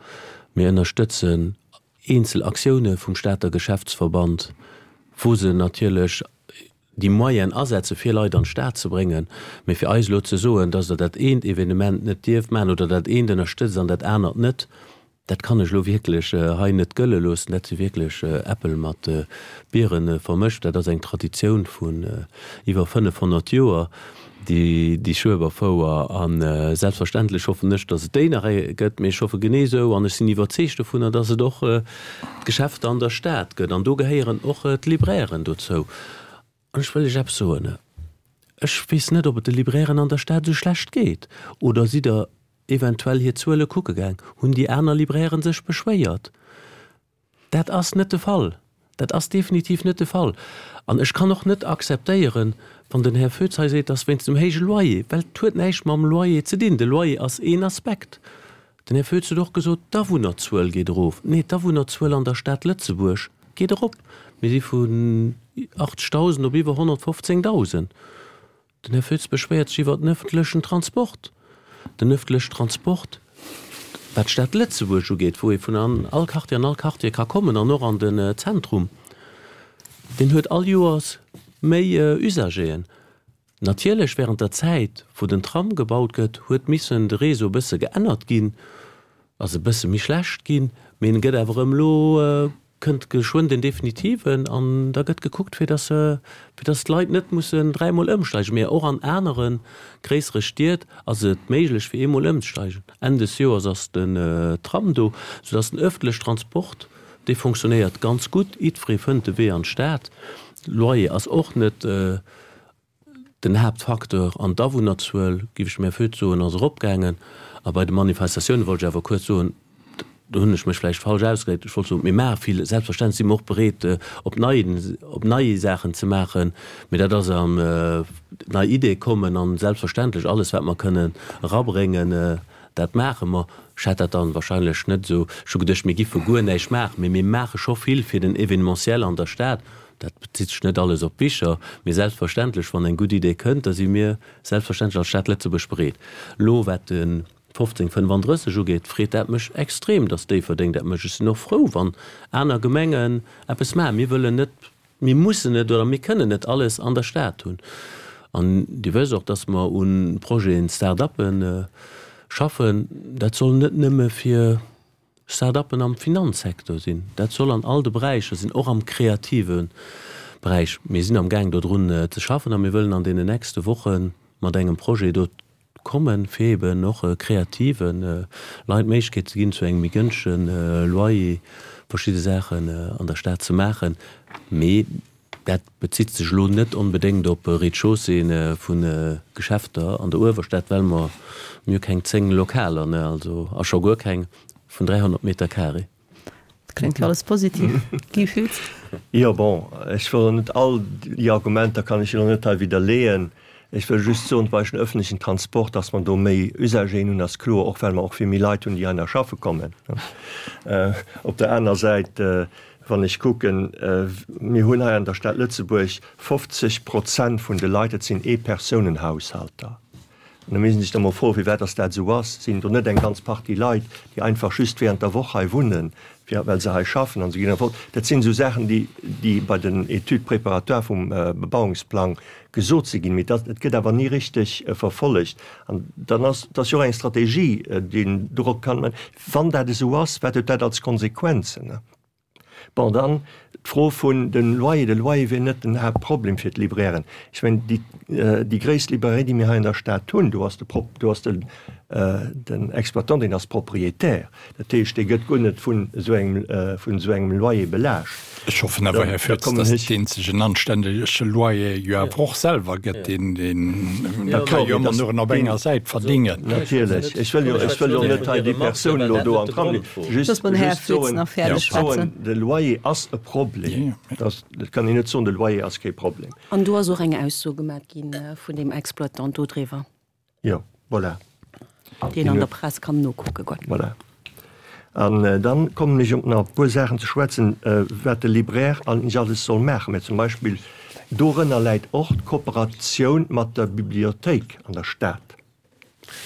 Mir ënnerstëtzen eenzel Aktioune vum Stater Geschäftsverband, wou se natierlech déi Moyenen asetze fir Leit an d'Stad ze bréngen. Mee fir eis elo ze soen, datt Der dat eent Evenement net dierft maachen oder dat eent ënnerstëtzt an dat anert net, Dat kann ech elo wierklech hei net gëlle loossen. Dat si wierklech Äppel mat Biere vermëscht. Dat ass eng Traditioun vun iwwer fënnefhonnert Joer, déi Schueberfouer. A selbstverständlech hoffen ech, datt et déi nach gëtt. Mee ech hoffe genee esou an ech sinn iwwerzeegt dovunner, datt et och d'Geschäfter an der Stad gëtt. An do gehéieren och d'Librairen dozou. An ech wëll lech eppes soen, Ech weess net, ob et de Librairen an der Stad esou schlecht geet. Oder sidd Der eventuell hir Zuele kucke gaang? Hunn déi aner Librairen sech beschwéiert? Dat ass net de Fall. Dat ass definitiv net de Fall. An ech kann och net akzeptéieren, wann den Här Foetz hei seet, dass wéinst dem héije Loyer, well et huet näischt mam Loyer ze dinn. De Loyer ass een Aspekt. Den Här Foetz huet och gesot, d'Awunnerzuel geet erof. Nee, d'Awunnerzuel an der Stad Lëtzebuerg geet erop. Mir si vun achtzegdausend op iwwer honnertfofzéngdausend. Den Här Foetz beschwéiert sech iwwert den öffentlechen Transport. Den öffentlechen Transport, wat d'Stad Lëtzebuerg ugeet, wou ee vun all Quartier an all Quartier ka kommen an och an den Zentrum, deen huet all Joers méi Usageren. Natierlech während der Zäit, wou den Tram gebaut gëtt, huet missen de Réseau e bësse geännert ginn, ass e bësse méi schlecht ginn, mee en gëtt awer erëm elo kënnt geschwënn den definitiven an da gëtt gekuckt, fir dass, fir dass d'Leit net mussen dräimol ëmsteigen. Mee och an anere gréissere Stied ass et méiglech, fir eemol ëmzesteigen. Enn des Joers ass den Tram do, soudass den ëffentlech Transport, dee fonctionnéiert ganz gutt. Jiddweree fënnt de Wee an d'Stad. Loyer ass och net Den Haaptfacteur an d'Awunnerzuel, géif ech dem Här Foetz soen, ass eropgaangen. A bei de Manifestatioune wollt ech awer kuerz soen, do hunn ech mech vläicht falsch ausgedréckt, ech wollt soen, mir maache vill, selbstverständlech si mer och bereet, op nei, op nei Saachen ze maachen, mee dat ass an nei Ideeë kommen an selbstverständlech alles, wat mer kënnen erabréngen, dat maache mer. Ech hätt dat dann wahrscheinlech net esou, ech hu geduecht, mir giffe guer näischt maachen, mee mir maache scho vill fir den Événementiel an der Stad. Dat bezitt sech net alles op d'Bicher, mee selbstverständlech, wann eng gutt Idee kënnt, da si mir selbstverständlech als Stad Lëtzebuerg bereet. Elo wat de fofzéng fënnefandrësseg ugeet, freet dat mech extrem, datt Déifferdeng dat mécht. Ech sinn och frou, wann aner Gemengen eppes maachen. Mir wëllen net, mir mussen net oder mir kënnen net alles an der Stad hunn. An Dir wësst och, datt mer u Projeten, Start-uppen schaffen. Dat soll net nëmme fir Start-uppen am Finanzsecteur sinn. Dat soll an all de Beräicher sinn, och am kreative Beräich. Mir sinn am Gaang dodrun ze schaffen a mir wëllen an deenen nächste Woche mat engem Projet do kommen, fir eben och kreative Leit d'Méiglechkeet ze ginn, zu engem méi gënschtege Loyer verschidde Saachen an der Stad ze maachen. Mee dat bezitt sech elo net onbedéngt op Rez-de-chaussée vu Geschäfter an der Uewerstad, well mer, mir hu keng zéng Lokaler, ne, also a scho guer keng vun dräihonnert Meter carré. Dat kléngt jo alles positiv. Guy Foetz? Jo, bon, ech wëll elo net all déi Argumenter kann ech elo net hei widderleeën. Ech wëll just soen, bei den öffentlichen Transport, dass mer do méi Usageren hunn, ass kloer, och well mer och vill méi Leit hunn, déi heihinner schaffe kommen. Op der aner Säit, wann ech kucken, mir hunn hei an der Stad Lëtzebuerg fofzeg Prozent vun de Leit, dat sinn Eepersonenhaushalter. An da misst een sech da mol froen, firwat dass dat esou ass. Sinn do net eng ganz Partie Leit, déi einfach just während der Woch hei wunnen, fir, well se hei schaffen an se ginn erfort? Dat sinn esou Saachen, déi, déi bei den Études préparatoires vum Bebauungsplang gesot si ginn, mee dat, et gëtt awer ni richteg verfollegt. An dann ass, dat ass jo och eng Strategie, déi een dorop kann, wann dat esou ass, wat huet dat als Konsequenzen? Bon, dann d'Fro vun dem Loyer. De Loyer wier net den Haaptproblem fir d'Librairen. Ech mengen, déi, déi gréisst Librairie, déi mir hei an der Stad hunn, do ass de Prop, do ass den, den Exploitant, deen ass Propriétaire. Dat heescht, dee gëtt guer net vun esou engem, vun esou engem Loyer belaascht. Ech hoffen awer, Här Foetz, dass deen sech en anständege Loyer jo awer och selwer gëtt. Deen, deen, dat ka jo ëmmer nuren op enger Säit verdingen. Natierlech. Ech wëll jo, ech wëll jo net hei déi Persoun elo do an d'Ram leeën. Just, just soen, just soen, de Loyer ass e Problem. Dat, dat kann een net soen, de Loyer ass kee Problem. An do ass och eng Ausso gemat gi vun deem Exploitant do driwwer. Jo, voilà. Déi een an der Press kann nokucke goen. Voilà. An dann kommen ech op nach e puer Saachen ze schwätzen, wat de Libraire eigentlech alles soll maachen. Mä zum Beispill dorënner läit och d'Kooperatioun mat der Bibliothéik an der Stad.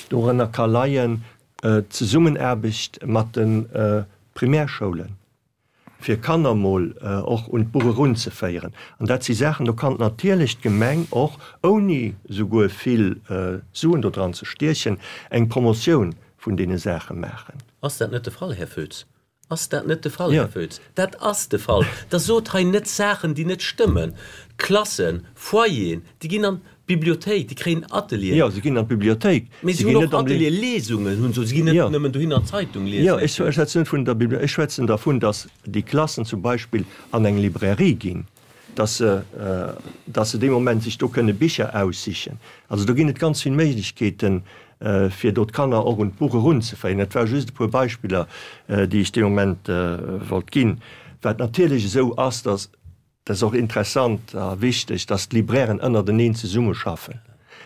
Dorënner ka leien d'Zesummenaarbecht mat de Primärschoulen, fir Kanner mol och un d'Buch erunzeféieren. An dat si Saachen, do kann natierlech d'Gemeng och, ouni souguer vill Suen do dran ze stiechen, eng Promotioun vun deene Saache maachen. Ass dat net de Fall, Här Foetz? Ass dat net de Fall, Här Foetz? Dat ass de Fall. Da sot hei net Saachen, déi net stëmmen. Klassen, Foyeren, déi ginn an d'Bibliothéik, déi kréien Atelieren. Jo, se ginn an d'Bibliothéik. Mee se hunn och Atelier, Lesungen hunn se. Se ginn net nëmmen dohin an d'Zeitung liesen. Jo, ech schwätzen net vun der Bibliothéik, ech schwätzen dervun, datt déi Klassen zum Beispill an eng Librairie ginn, datt se, datt se dee Moment sech do kënne Bicher aussichen. Also do ginn et ganz vill Méiglechkeeten, fir do d'Kanner och un d'Buch erunzeféieren. Dat ware just e puer Beispiller, déi ech dee Moment wollt ginn. Wat natierlech esou ass, dass, dat ass och interessant a wichteg, dass d'Librairen ënnerteneen zesummeschaffen,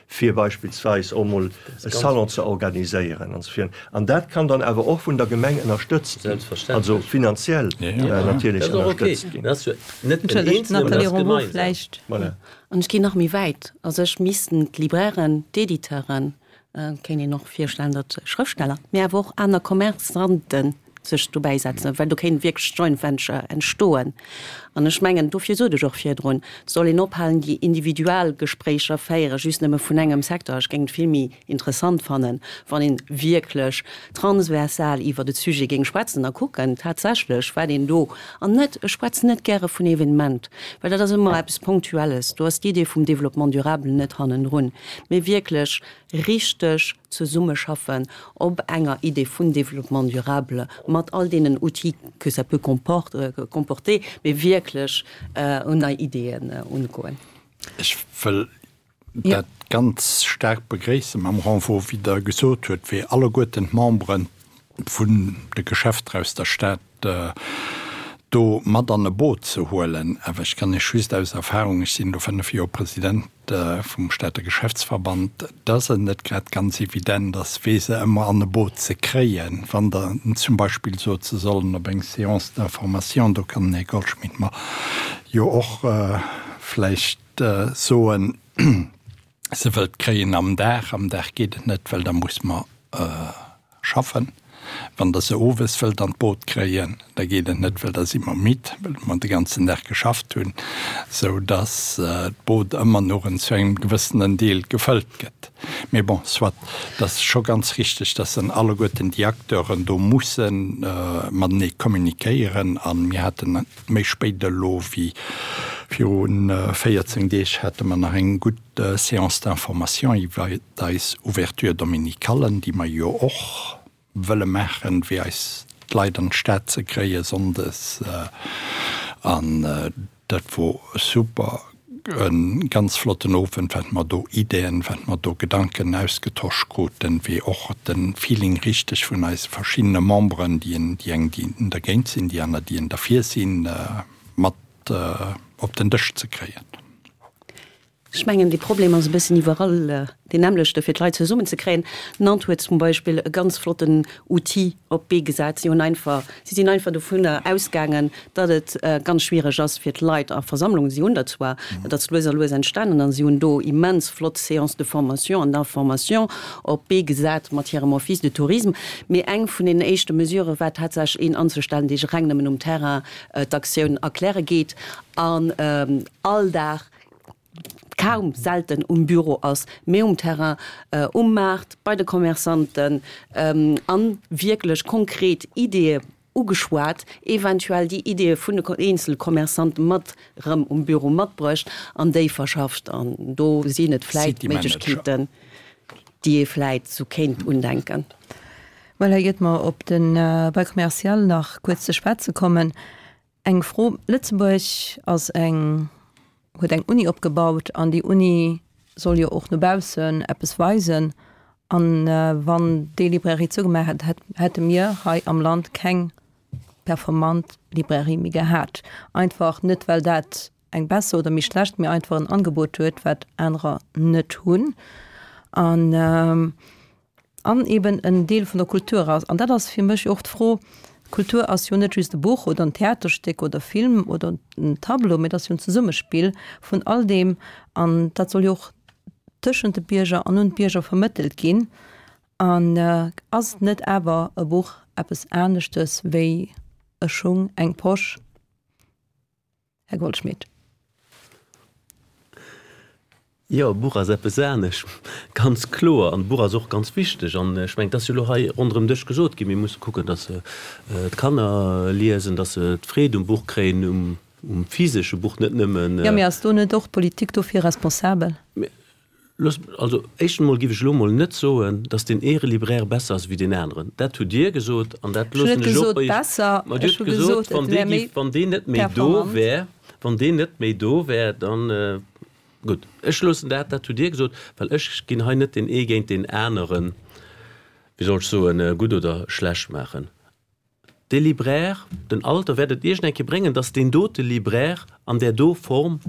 fir beispillsweis och emol e Salon ze organiséieren an esou virun. An dat kann dann awer och vun der Gemeng ënnerstëtzt ginn, also finanziell natierlech ënnerstëtzt ginn. Entschëllegt, Nathalie Ronvaux vläicht. Voilà. An ech ginn nach méi wäit. A sech missten d'Librairen, d'Editeuren, Et kéint een och virstellen, datt Schrëftsteller, mee awer och aner Commerçanten sech dobäi setzen, well do kéint wierklech Joint Venture entstoen. An ech mengen, dofir sot ech och virdrun, et soll een ophalen, déi Individualgespréicher féiere just nëmme vun engem Secteur. Ech géing et vill méi interessant fannen, wann ee wierklech transversal iwwert e Sujet géing schwätzen a kucken tatsächlech, wat een do, an net, ech schwätzen net gäre vun Evenement, well dat ass ëmmer eppes Ponctuelles, do ass d'Idee vum Développement durable net hannendrun, mee wierklech richteg zesummeschaffen op enger Idee vun Développement durable mat all deenen Outils que ça peut comporter, mee wierklech un nei Ideeën ungoen. Ech wëll dat ganz staark begréissen mam Renvoi, wéi Der gesot huet, wéi alleguerten d'Membere vun de Geschäfter aus der Stad do mat an e Boot ze huelen. Awer ech kann Iech just aus Erfahrung, ech sinn elo fënnef Joer President vum Stater Geschäftsverband, dass et net grad ganz evident ass, fir se ëmmer an e Boot ze kréien. Wann Der zum Beispill sot, se sollen op eng Séance d'information, do kann den Här Goldschmidt mer jo och vläicht soen, se wëllt kréien am Dag. Am Dag geet et net, well da muss mer schaffen. Wann Der se owes wëllt an d'Boot kréien, da geet et net, well da si mer midd, well mer de ganzen Dag geschafft hunn, sou dass d'Boot ëmmer nuren zu engem gewëssenen Deel gefëllt gëtt. Mee bon, soit, et ass scho ganz richteg, dass dann alleguerten déi Acteuren do musse matenee communiquéieren. A mir haten méi spéit elo wéi viru véierzéng Deeg hate mer nach eng gutt Séance d'information iwwer eis Ouverture dominicale, déi mer jo och wëlle maachen, fir eis d'Leit an d'Stad ze kréie sonndes. An dat wor super, e ganz flotten Owend, wat mer do Ideen, wat mer do Gedanken ausgetosch kruten, wéi och de Feeling richteg vun eise verschiddene Memberen, déi eng, déi dergéint sinn, déi aner, déi derfir sinn, mat op den Dësch ze kréien. Ech mengen, dee Problem ass e bëssen iwwerall deen nämmlechte, fir d'Leit zesummenzekréien. Nantes huet zum Beispill e ganz flotten Outil op d'Bee gesat. Si hunn einfach, si sinn einfach dovunner ausgaangen, datt et ganz schwiereg ass fir d'Leit a Versammlungen, si hunn der zwar, dat ass lues a lues entstanen, an si hunn do immens flott Séances de formation an d'information op d'Bee gesat mat hirem Office de tourisme. Mee eng vun deenen éischte Mesurë war tatsächlech een anzestellen, dee reng nëmmen um Terrain d'Aktioun erkläre geet an all Dag, kaum, selten um Büro ass, mee um Terrain, um Maart, bei de Commerçanten a wierklech konkret Ideeë ugeschwat, eventuell déi Ideeë vun de eenzele Commerçante mat erëm um Büro matbruecht an déi verschafft. An do sinn et vläit Méiglechkeeten, déi ee vläit sou kéint undenken. Voilà, iert mer op de Bail commercial nach kuerz ze schwätze kommen, eng Fro, Lëtzebuerg ass eng huet eng Uni opgebaut an déi Uni soll jo och no baussen eppes weisen. An wann déi Librairie zougemaach hätt, hätte mir hei am Land keng performant Librairie méi gehat. Einfach net well dat eng besser oder méi schlecht, mee einfach en Angebot huet, wat anerer net hunn. An. An eben en Deel vun der Kultur ass. An dat ass fir mech och d'Fro, Kultur ass jo net just e Buch oder en Theaterstéck oder e Film oder en Tableau, mee et ass jo en Zesummespill vun all deem. An dat soll jo och tëschent de Bierger an un d'Bierger vermëttelt ginn. An ass net awer e Buch eppes aneschtes wéi e Schung, eng Posch? Här Goldschmidt. Jo, e Buch ass eppes anescht, ganz kloer. An e Buch ass och ganz wichteg. An ech mengen, et ass jo elo hei ronderëm Dësch gesot ginn, mir musse kucken, datt d'Kanner liesen, datt se d'Freed um Buch kréien, um physesche Buch, net nëmmen. Jo, mee ass do net och d'Politik dofir responsabel? Looss, also éischtens emol géif ech elo emol net soen, datt deen ee Libraire besser ass wéi deen aneren. Dat hutt Dir gesot an dat Ech hunn loossen net ech och gesot bei Iech. besser, Ma Dir ech hutt hu gesot, gesot, wann et dee wär méi géif, wann deen net méi do performant. wär, wann deen net méi do wär, dann. Gutt, ech loossen dat, dat hutt Dir gesot, well ech ginn hei net deen ee géint deen aneren, wéi soll ech soen, gutt oder schlecht maachen. Dee Libraire, den Alter wäert et iergend eng Kéier bréngen, dass deen dote Libraire an där do Form,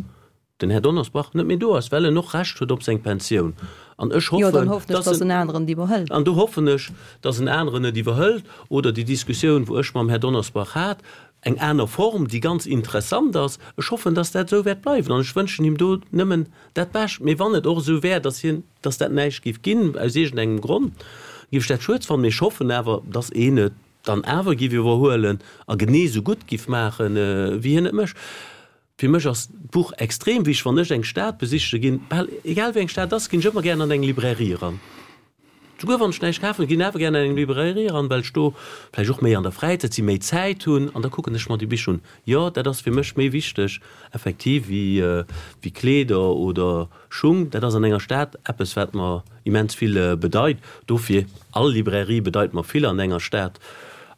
den Här Donnersbach, net méi do ass, well en och Recht huet op seng Pensioun. An ech Jo, dann hoffen, hoffen ech, dass dass en, en aneren et iwwerhëlt. an do hoffen ech, dass en aneren et iwwerhëlt oder déi Diskussioun, wou ech mam Här Donnersbach hat, Eng aner Form, déi ganz interessant ass. Ech hoffen, dass dat esou wäert bleiwen an ech wënschen him do nëmmen dat Bescht. Mee wann et och esou wär, dass hien, dass dat näischt géif ginn, aus iergendengem Grond, géif ech dat schued fannen. Mee ech hoffen awer, dass een et dann awer géif iwwerhuelen a genee esou gutt géif maachen, wéi hien et mécht. Fir mech ass d'Buch extrem wichteg. Wann ech eng Stad besichte ginn, bal egal wéi eng Stad ass, ginn ech ëmmer gären an eng Librairie eran. Souguer wann ech näischt kafen, ginn awer gären an eng Librairie eran, well ech do vläicht och méi an der Fräizäit sinn, méi Zäit hunn an da kucken ech mer déi Bicher un. Jo, dat ass fir mech méi wichteg effektiv wéi wéi Kleeder oder Schung. Dat ass an enger Stad eppes, wat mer immens vill bedeit. Dofir, all Librairie bedeit mer vill an enger Stad.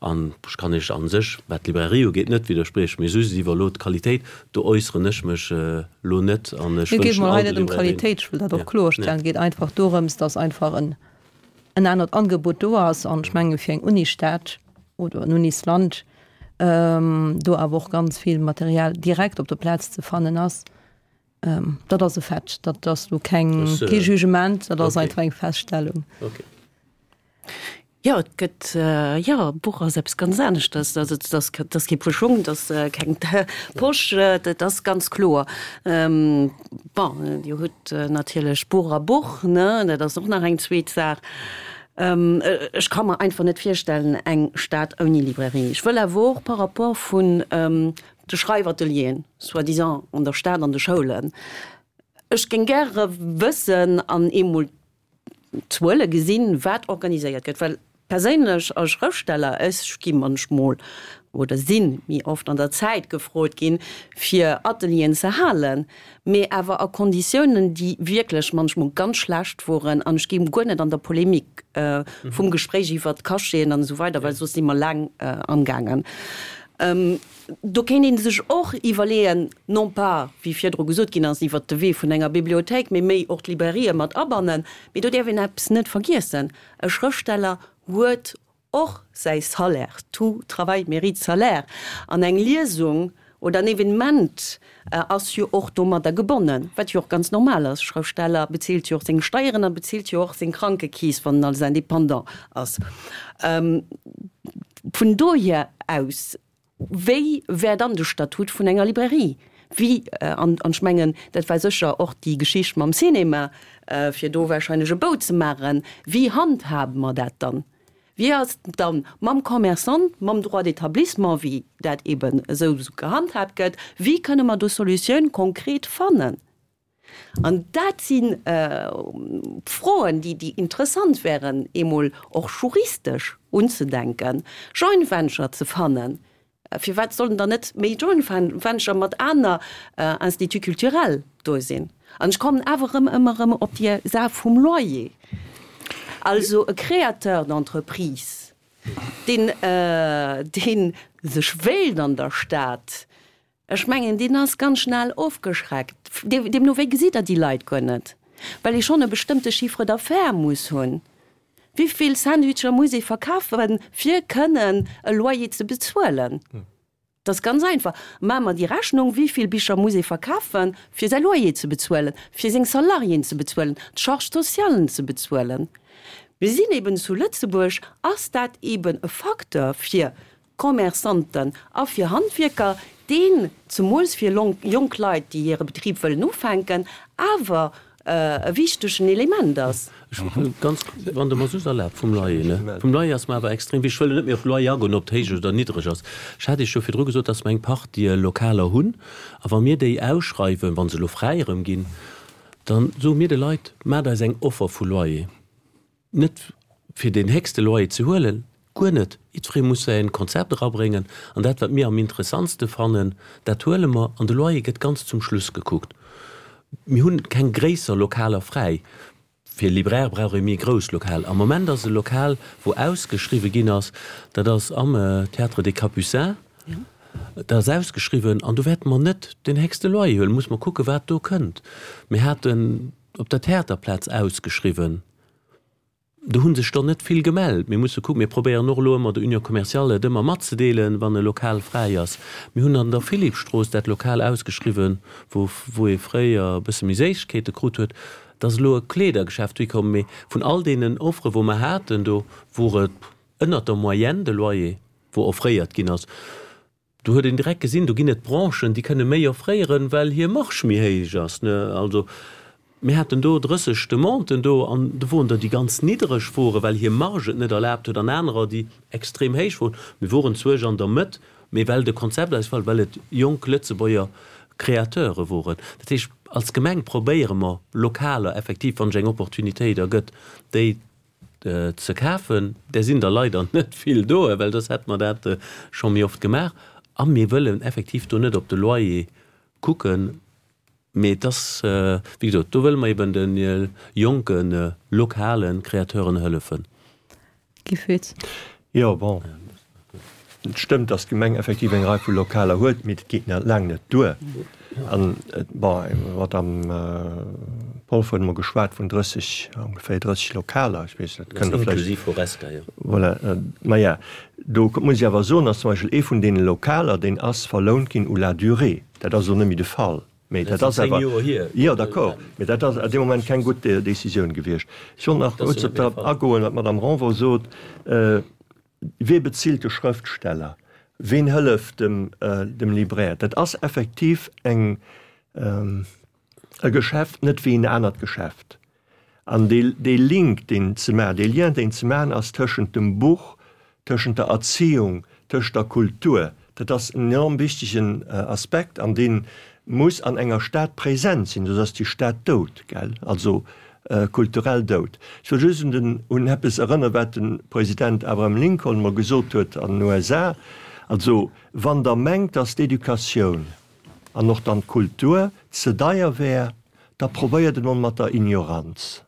An ech kann Iech a sech, wat d'Librairie ugeet, net widderspriechen, mee just iwwer elo d'Qualitéit, do äusseren ech mech elo net an ech Et geet wënschen mer hei all de net ëm Librairien. Qualitéit, ech wëll dat och Ja, kloerstellen. ja. Et geet einfach dorëms, dass einfach en en anert Angebot do ass an ech menge fir eng Unisstad oder en Unisland do awer och ganz vill Material direkt op der Plaz ze fannen ass. Dat ass e Fait, dat ass lo keng, kee Jugement, dat ass einfach eng Feststellung. Okay. Jo, et gëtt, jo, e Buch ass eppes ganz aneschters. Also et ass, et ass kee Puer Schung, et ass keng Posch, dat ass ganz kloer. Bon, Dir hutt natierlech Buch a Buch, ne, dat ass och nach eng zweet Saach. Ech ka mer einfach net virstellen, eng Stad ouni Librairie. Ech wëll awer och par rapport vun de Schreifatelieren, soi-disant an der Stad an de Schoulen, ech géing gäre wëssen an eemol d'Zuele gesinn, wat organiséiert gëtt, well perséinlech als Schrëftsteller, ech gi munchmol oder si méi oft an der Zäit gefrot ginn, fir Atelieren ze halen, mee awer a Konditiounen, déi wierklech munchmol ganz schlecht woren, an ech gi guer net an der Polemik vum Gespréich iwwert d'Cacheten an esou weider, well soss si mer laang amgaangen. Do kéint ee sech och iwwerleeën, non pas, wéi virdru gesot ginn ass, iwwert de Wee vun enger Bibliothéik, mee méi och d'Librairië mat abannen. Mee do däerf een eppes net vergiessen, E Schrëftsteller huet och säi Salaire, tout travail mérite salaire, an eng Liesung oder en Evenement ass jo och domadder gebonnen, wat jo och ganz normal ass. E Schrëftsteller bezilt jo och seng Steieren a bezilt jo och seng Krankekeess, wann en als Indépendant ass. Vun dohier aus Wéi wär dann de Statut vun enger Librairie? Wéi, an ech mengen, dat war sécher och déi Geschicht mam Cinéma, fir do wahrscheinlech e Bou ze maachen, wéi handhabe mer dat dann? Wéi ass et dann mam Commerçant, mam Droit d'établissement, wéi dat eben esou gehandhaabt gëtt? Wéi kënne mer do Solutioun konkret fannen? An dat si Froen, déi interessant wären, eemol och juristesch unzedenken, Joint venture ze fannen. Firwat sollen dann net méi Joint venture mat aner Instituts culturels do sinn? An ech kommen awer erëm ëmmer erëm op déi Saach vum Loyer. Also e Créateur d'entreprise, deen, dee sech wéilt an der Stad Ech mengen, deen ass ganz schnell ofgeschreckt. Deemno wéi gesitt Der déi Leit guer net, well ee schonn e bestëmmte Chiffre d'affaires muss hunn. Wivill Sandwicher muss ee verkafen, fir kënnen e Loyer ze bezuelen? Dat ass ganz einfach. Maache mer déi Rechnung, Wivill Bicher muss ee verkafen, fir säi Loyer ze bezuelen, fir seng Salariéen ze bezuelen, d'Charges socialen ze bezuelen? Mir sinn eben zu Lëtzebuerg, ass dat eben e Facteur fir Commerçanten a fir Handwierker, deen, zemools fir jonk Leit, déi hire Betrib wëllen ufänken, awer e wichtegen Element ass. Ech wëll ganz, wann Der mer soss erlaabt, vum Loyer, ne? Vum Loyer ass mer awer extrem wichteg. Ech wëll net méi op de Loyer agoen, ob et héich oder niddreg ass. Ech hat Iech jo virdru gesot, dass mer eng Partie Lokaler hunn. A wa mir déi ausschreiwen, wa se elo fräi erëm ginn, Dann soe mir de Leit, Maacht eis eng Offer vu Loyer. Net fir deen héchste Loyer ze huelen, guer net. Jiddweree muss säi Konzept erabréngen an dat, wat mir am interessantste fannen, dat huele mer an de Loyer gëtt ganz zum Schluss gekuckt. Mir hunn keng gréisser Lokaler fräi. Fir Libraire brauch ee méi grouss Lokal. Am Moment ass e Lokal, wou ausgeschriwwe ginn ass, dat ass am Théâtre des Capucins, dat ass ausgeschriwwen an do wäerte mer net deen héchste Loyer huelen. Muss mer kucken, wat do kënnt. Mir haten op der Theaterplaz ausgeschriwwen. Do hu sech der net vill gemellt. Mir musse kucken, mir probéieren och elo ëmmer der Union commerciale et ëmmer matzedeelen, wann e Lokal fräi ass. Mir hunn an der Philippstrooss dat Lokal ausgeschriwwen, wou wou ee fréier e bësse méi Séissegkeete krut huet. Et ass elo e Kleedergeschäft dohikomm. Mee vun all deenen Offere wou mer haten, do wor et ënnert der Moyenne de Loyer, wou offréiert ginn ass. Do huet een direkt gesinn, do ginn et Branchen, déi kënne méi offréieren, well hir Marge méi héich ass. Also mir haten do drësseg Demanden do an do woren der, déi ganz niddereg woren, well hir Marge et net erlaabt huet, an anerer, déi extrem héich woren. Mir woren zwuesch an der Mëtt, mee well de Konzept eis gefall, well et jonk Lëtzebuerger Créateure woren. Dat heescht, als Gemeng probéiere mer, Lokaler effektiv, wann sech eng Opportunitéit ergëtt, déi ze kafen. Där sinn der leider net vill do, well soss hätte mer dat scho méi oft gemaach. A mir wëllen effektiv do net op de Loyer kucken, mee et ass, wéi gesot, do wëlle mer eben de jonke lokale Créateuren hëllefen. Guy Foetz. Jo, bon, et stëmmt, datt d'Gemeng effektiv eng Rei vu Lokaler huet, mee dat geet nach laang net duer. An, bon, d'Madame Polfer huet emol geschwat vun drësseg, ongeféier drësseg Lokaler, ech weess net, kënnt Der vläicht. Inklusiv Horesca, jo. Voilà, maja, do muss ech awer soen, datt zum Beispill ee vun deene Lokaler, deen ass verlount ginn u la durée. Dat ass elo net méi de Fall, mee dat ass awer. Zéng Joer hier. Jo, d'accord, mee dat ass a deem Moment keng gutt Décisioun gewiescht. Ech wollt nach kuerz op dat agoen, wat d'Madame Renvaux sot. Wie bezilt de Schrëftsteller? Ween hëlleft dem, dem Libraire? Dat ass effektiv eng, e Geschäft net wéi en anert Geschäft. An dee, dee Link, deen ze maachen, dee Lien, deen ze maachen ass tëschent dem Buch, tëschent der Erziehung, tëschent der Kultur, dat ass en enorm wichtegen Aspekt an dee muss an enger Stad present sinn, soss ass déi Stad dout, gell? Also kulturell dout. Ech wëll just un den, un eppes erënneren, wat de President Abraham Lincoln emol gesot huet an den U S A, Also, wann Der mengt, dass d'Educatioun an och dann d'Kultur ze deier wär, da probéiert et emol mat der Ignoranz.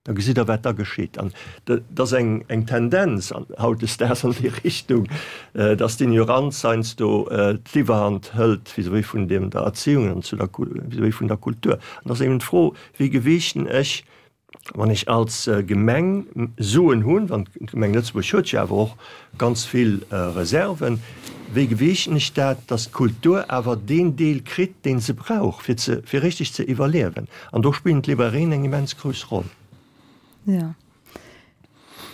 Da gesitt Der, wat da geschitt. An et ass eng, eng Tendenz hautdesdaags an déi Richtung, dass d'Ignoranz heiansdo d'Iwwerhand hëlt vis-à-vis vun dem, der Erziehung an zu der, vis-à-vis vun der Kultur. An da ass eben d'Fro, Wéi gewiichten ech, wann ech als Gemeng Suen hunn, wann d'Gemeng Lëtzebuerg huet jo awer och ganz vill Reserven, wéi gewiichten ech dat, dass d'Kultur awer deen Deel kritt, dee se brauch, fir ze, fir richtig ze iwwerliewen? An do spillen d'Librairien eng immens grouss Roll. Jo.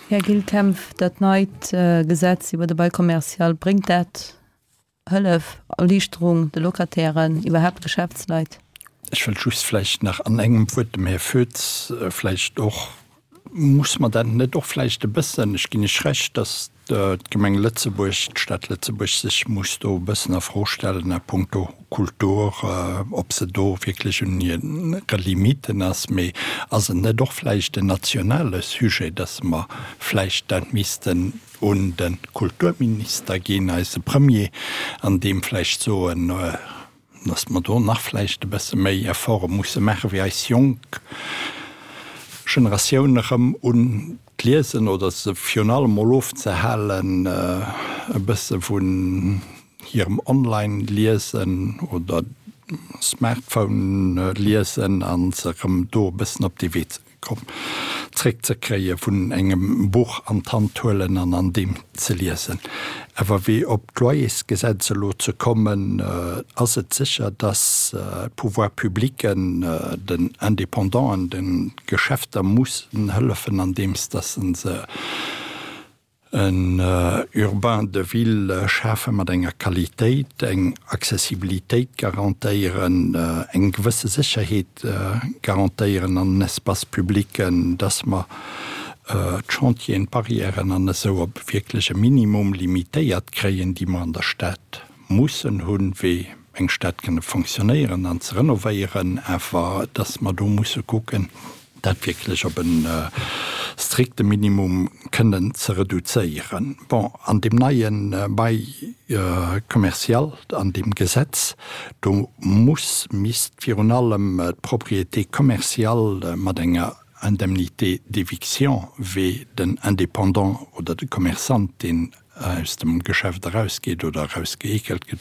Här Gilles Kempf, dat neit Gesetz iwwer de Bail commercial, bréngt dat Hëllef, Erliichterung de Locatairen, iwwerhaapt Geschäftsleit? Ech wëll just vläicht nach an engem Wuert dem Här Foetz vläicht och, muss mer dat net och vläicht e bëssen, ech ginn Iech Recht, dass d'Gemeng Lëtzebuerg, d'Stad Lëtzebuerg sech muss do e bëssen a Fro stellen a puncto Kultur, ob se do wierklech un hire Limiten ass. Mee ass et net och vläicht en nationale Sujet, dass mer vläicht dat missten un de Kulturminister ginn, eise Premier, an deem vläicht soen, dass mer do nach vläicht e bësse méi Efforte musse maachen, fir eis jonk Generatioun erëm un d'Liesen oder se virun allem mol ofzehalen e bësse vun hirem Online-Liesen oder Smartphone-Liesen a se erëm do e bëssen op dee Wee ze zréckzekréie vun engem Buch an d'Hand huelen an an deem ze liesen. Awer wéi op d'Loyersgesetz elo ze kommen, ass et sécher, dass d'Pouvoirs publicken den Indépendanten, de Geschäfter mussen hëllefen, andeems dass se se en Urbain de ville schafe mat enger Qualitéit, eng Accessibilitéit garantéieren, eng gewësse Sécherheet garantéieren an den Espaces publics, dass mer d'Chantieren, d'Barrièren an esou op wierklech e Minimum limitéiert kréien, déi mer an der Stad mussen hunn, wéi eng Stad kënne fonctionnéieren an ze renovéieren, awer dass mer do musse kucken, dat wierklech op e strikte Minimum kënnen ze reduzéieren. Bon, an deem neie Bail commercial, an deem Gesetz, do muss, misst virun allem d'Propriété commerciale mat enger Indemnité d'éviction wéi den Indépendant oder de Commerçant, deen aus dem Geschäft erausgeet oder erausgeekelt gëtt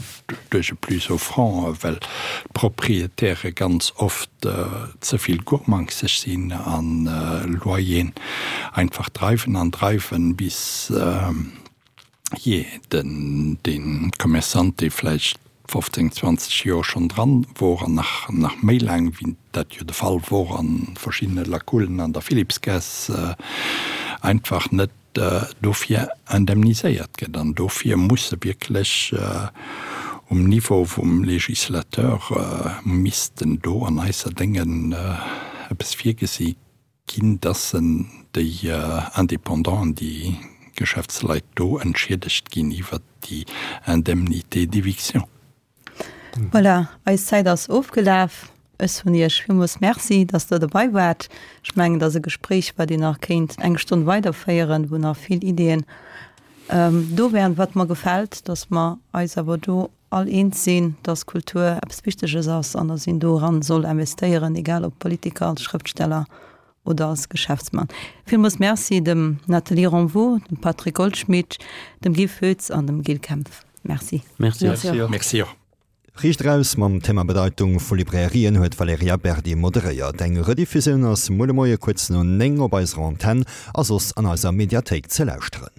duerch e Plus offrant, well d'Proprietäre ganz oft ze vill gurmangseg sinn a Loyeren einfach dreiwen an dreiwen, bis jee den dee Commerçant, dee vläicht fofzéng, zwanzeg Joer schonn dran wor an nach nach méi laang, wéi dat jo de Fall wor a verschiddene Lakullen an der Philippsgaass, einfach net dofir indemniséiert gëtt. An dofir musse wierklech um Niveau vum Législateur missten do an eiser Déngen eppes virgesi ginn, dass déi Indépendanten, déi Geschäftsleit do entschiedegt ginn iwwert déi Indemnité d'éviction. Voilà, eis Zäit ass ofgelaf. Ech soen Iech villmools Merci, dass Der dobei waart. Ech mengen, et ass e Gespréich, wat een nach kéint eng Stonn weiderféieren, wou nach vill Ideeën do wären. Wat mer gefält, dass mer eis awer do all eens sinn, dass Kultur eppes Wichteges ass an dass een doran soll investéieren, egal ob Politiker, als Schrëftsteller oder als Geschäftsmann. Villmools Merci dem Nathalie Renvaux, dem Patrick Goldschmidt, dem Guy Foetz an dem Gilles Kempf. Merci. Merci. Merci och. Riicht eraus mam Thema Bedeitung vu Librairien huet d'Valerija Berdi moderéiert. Eng Rediffusioun ass muer de Moie kuerz no néng op eiser Antenn a soss an eiser Mediathéik ze lauschteren.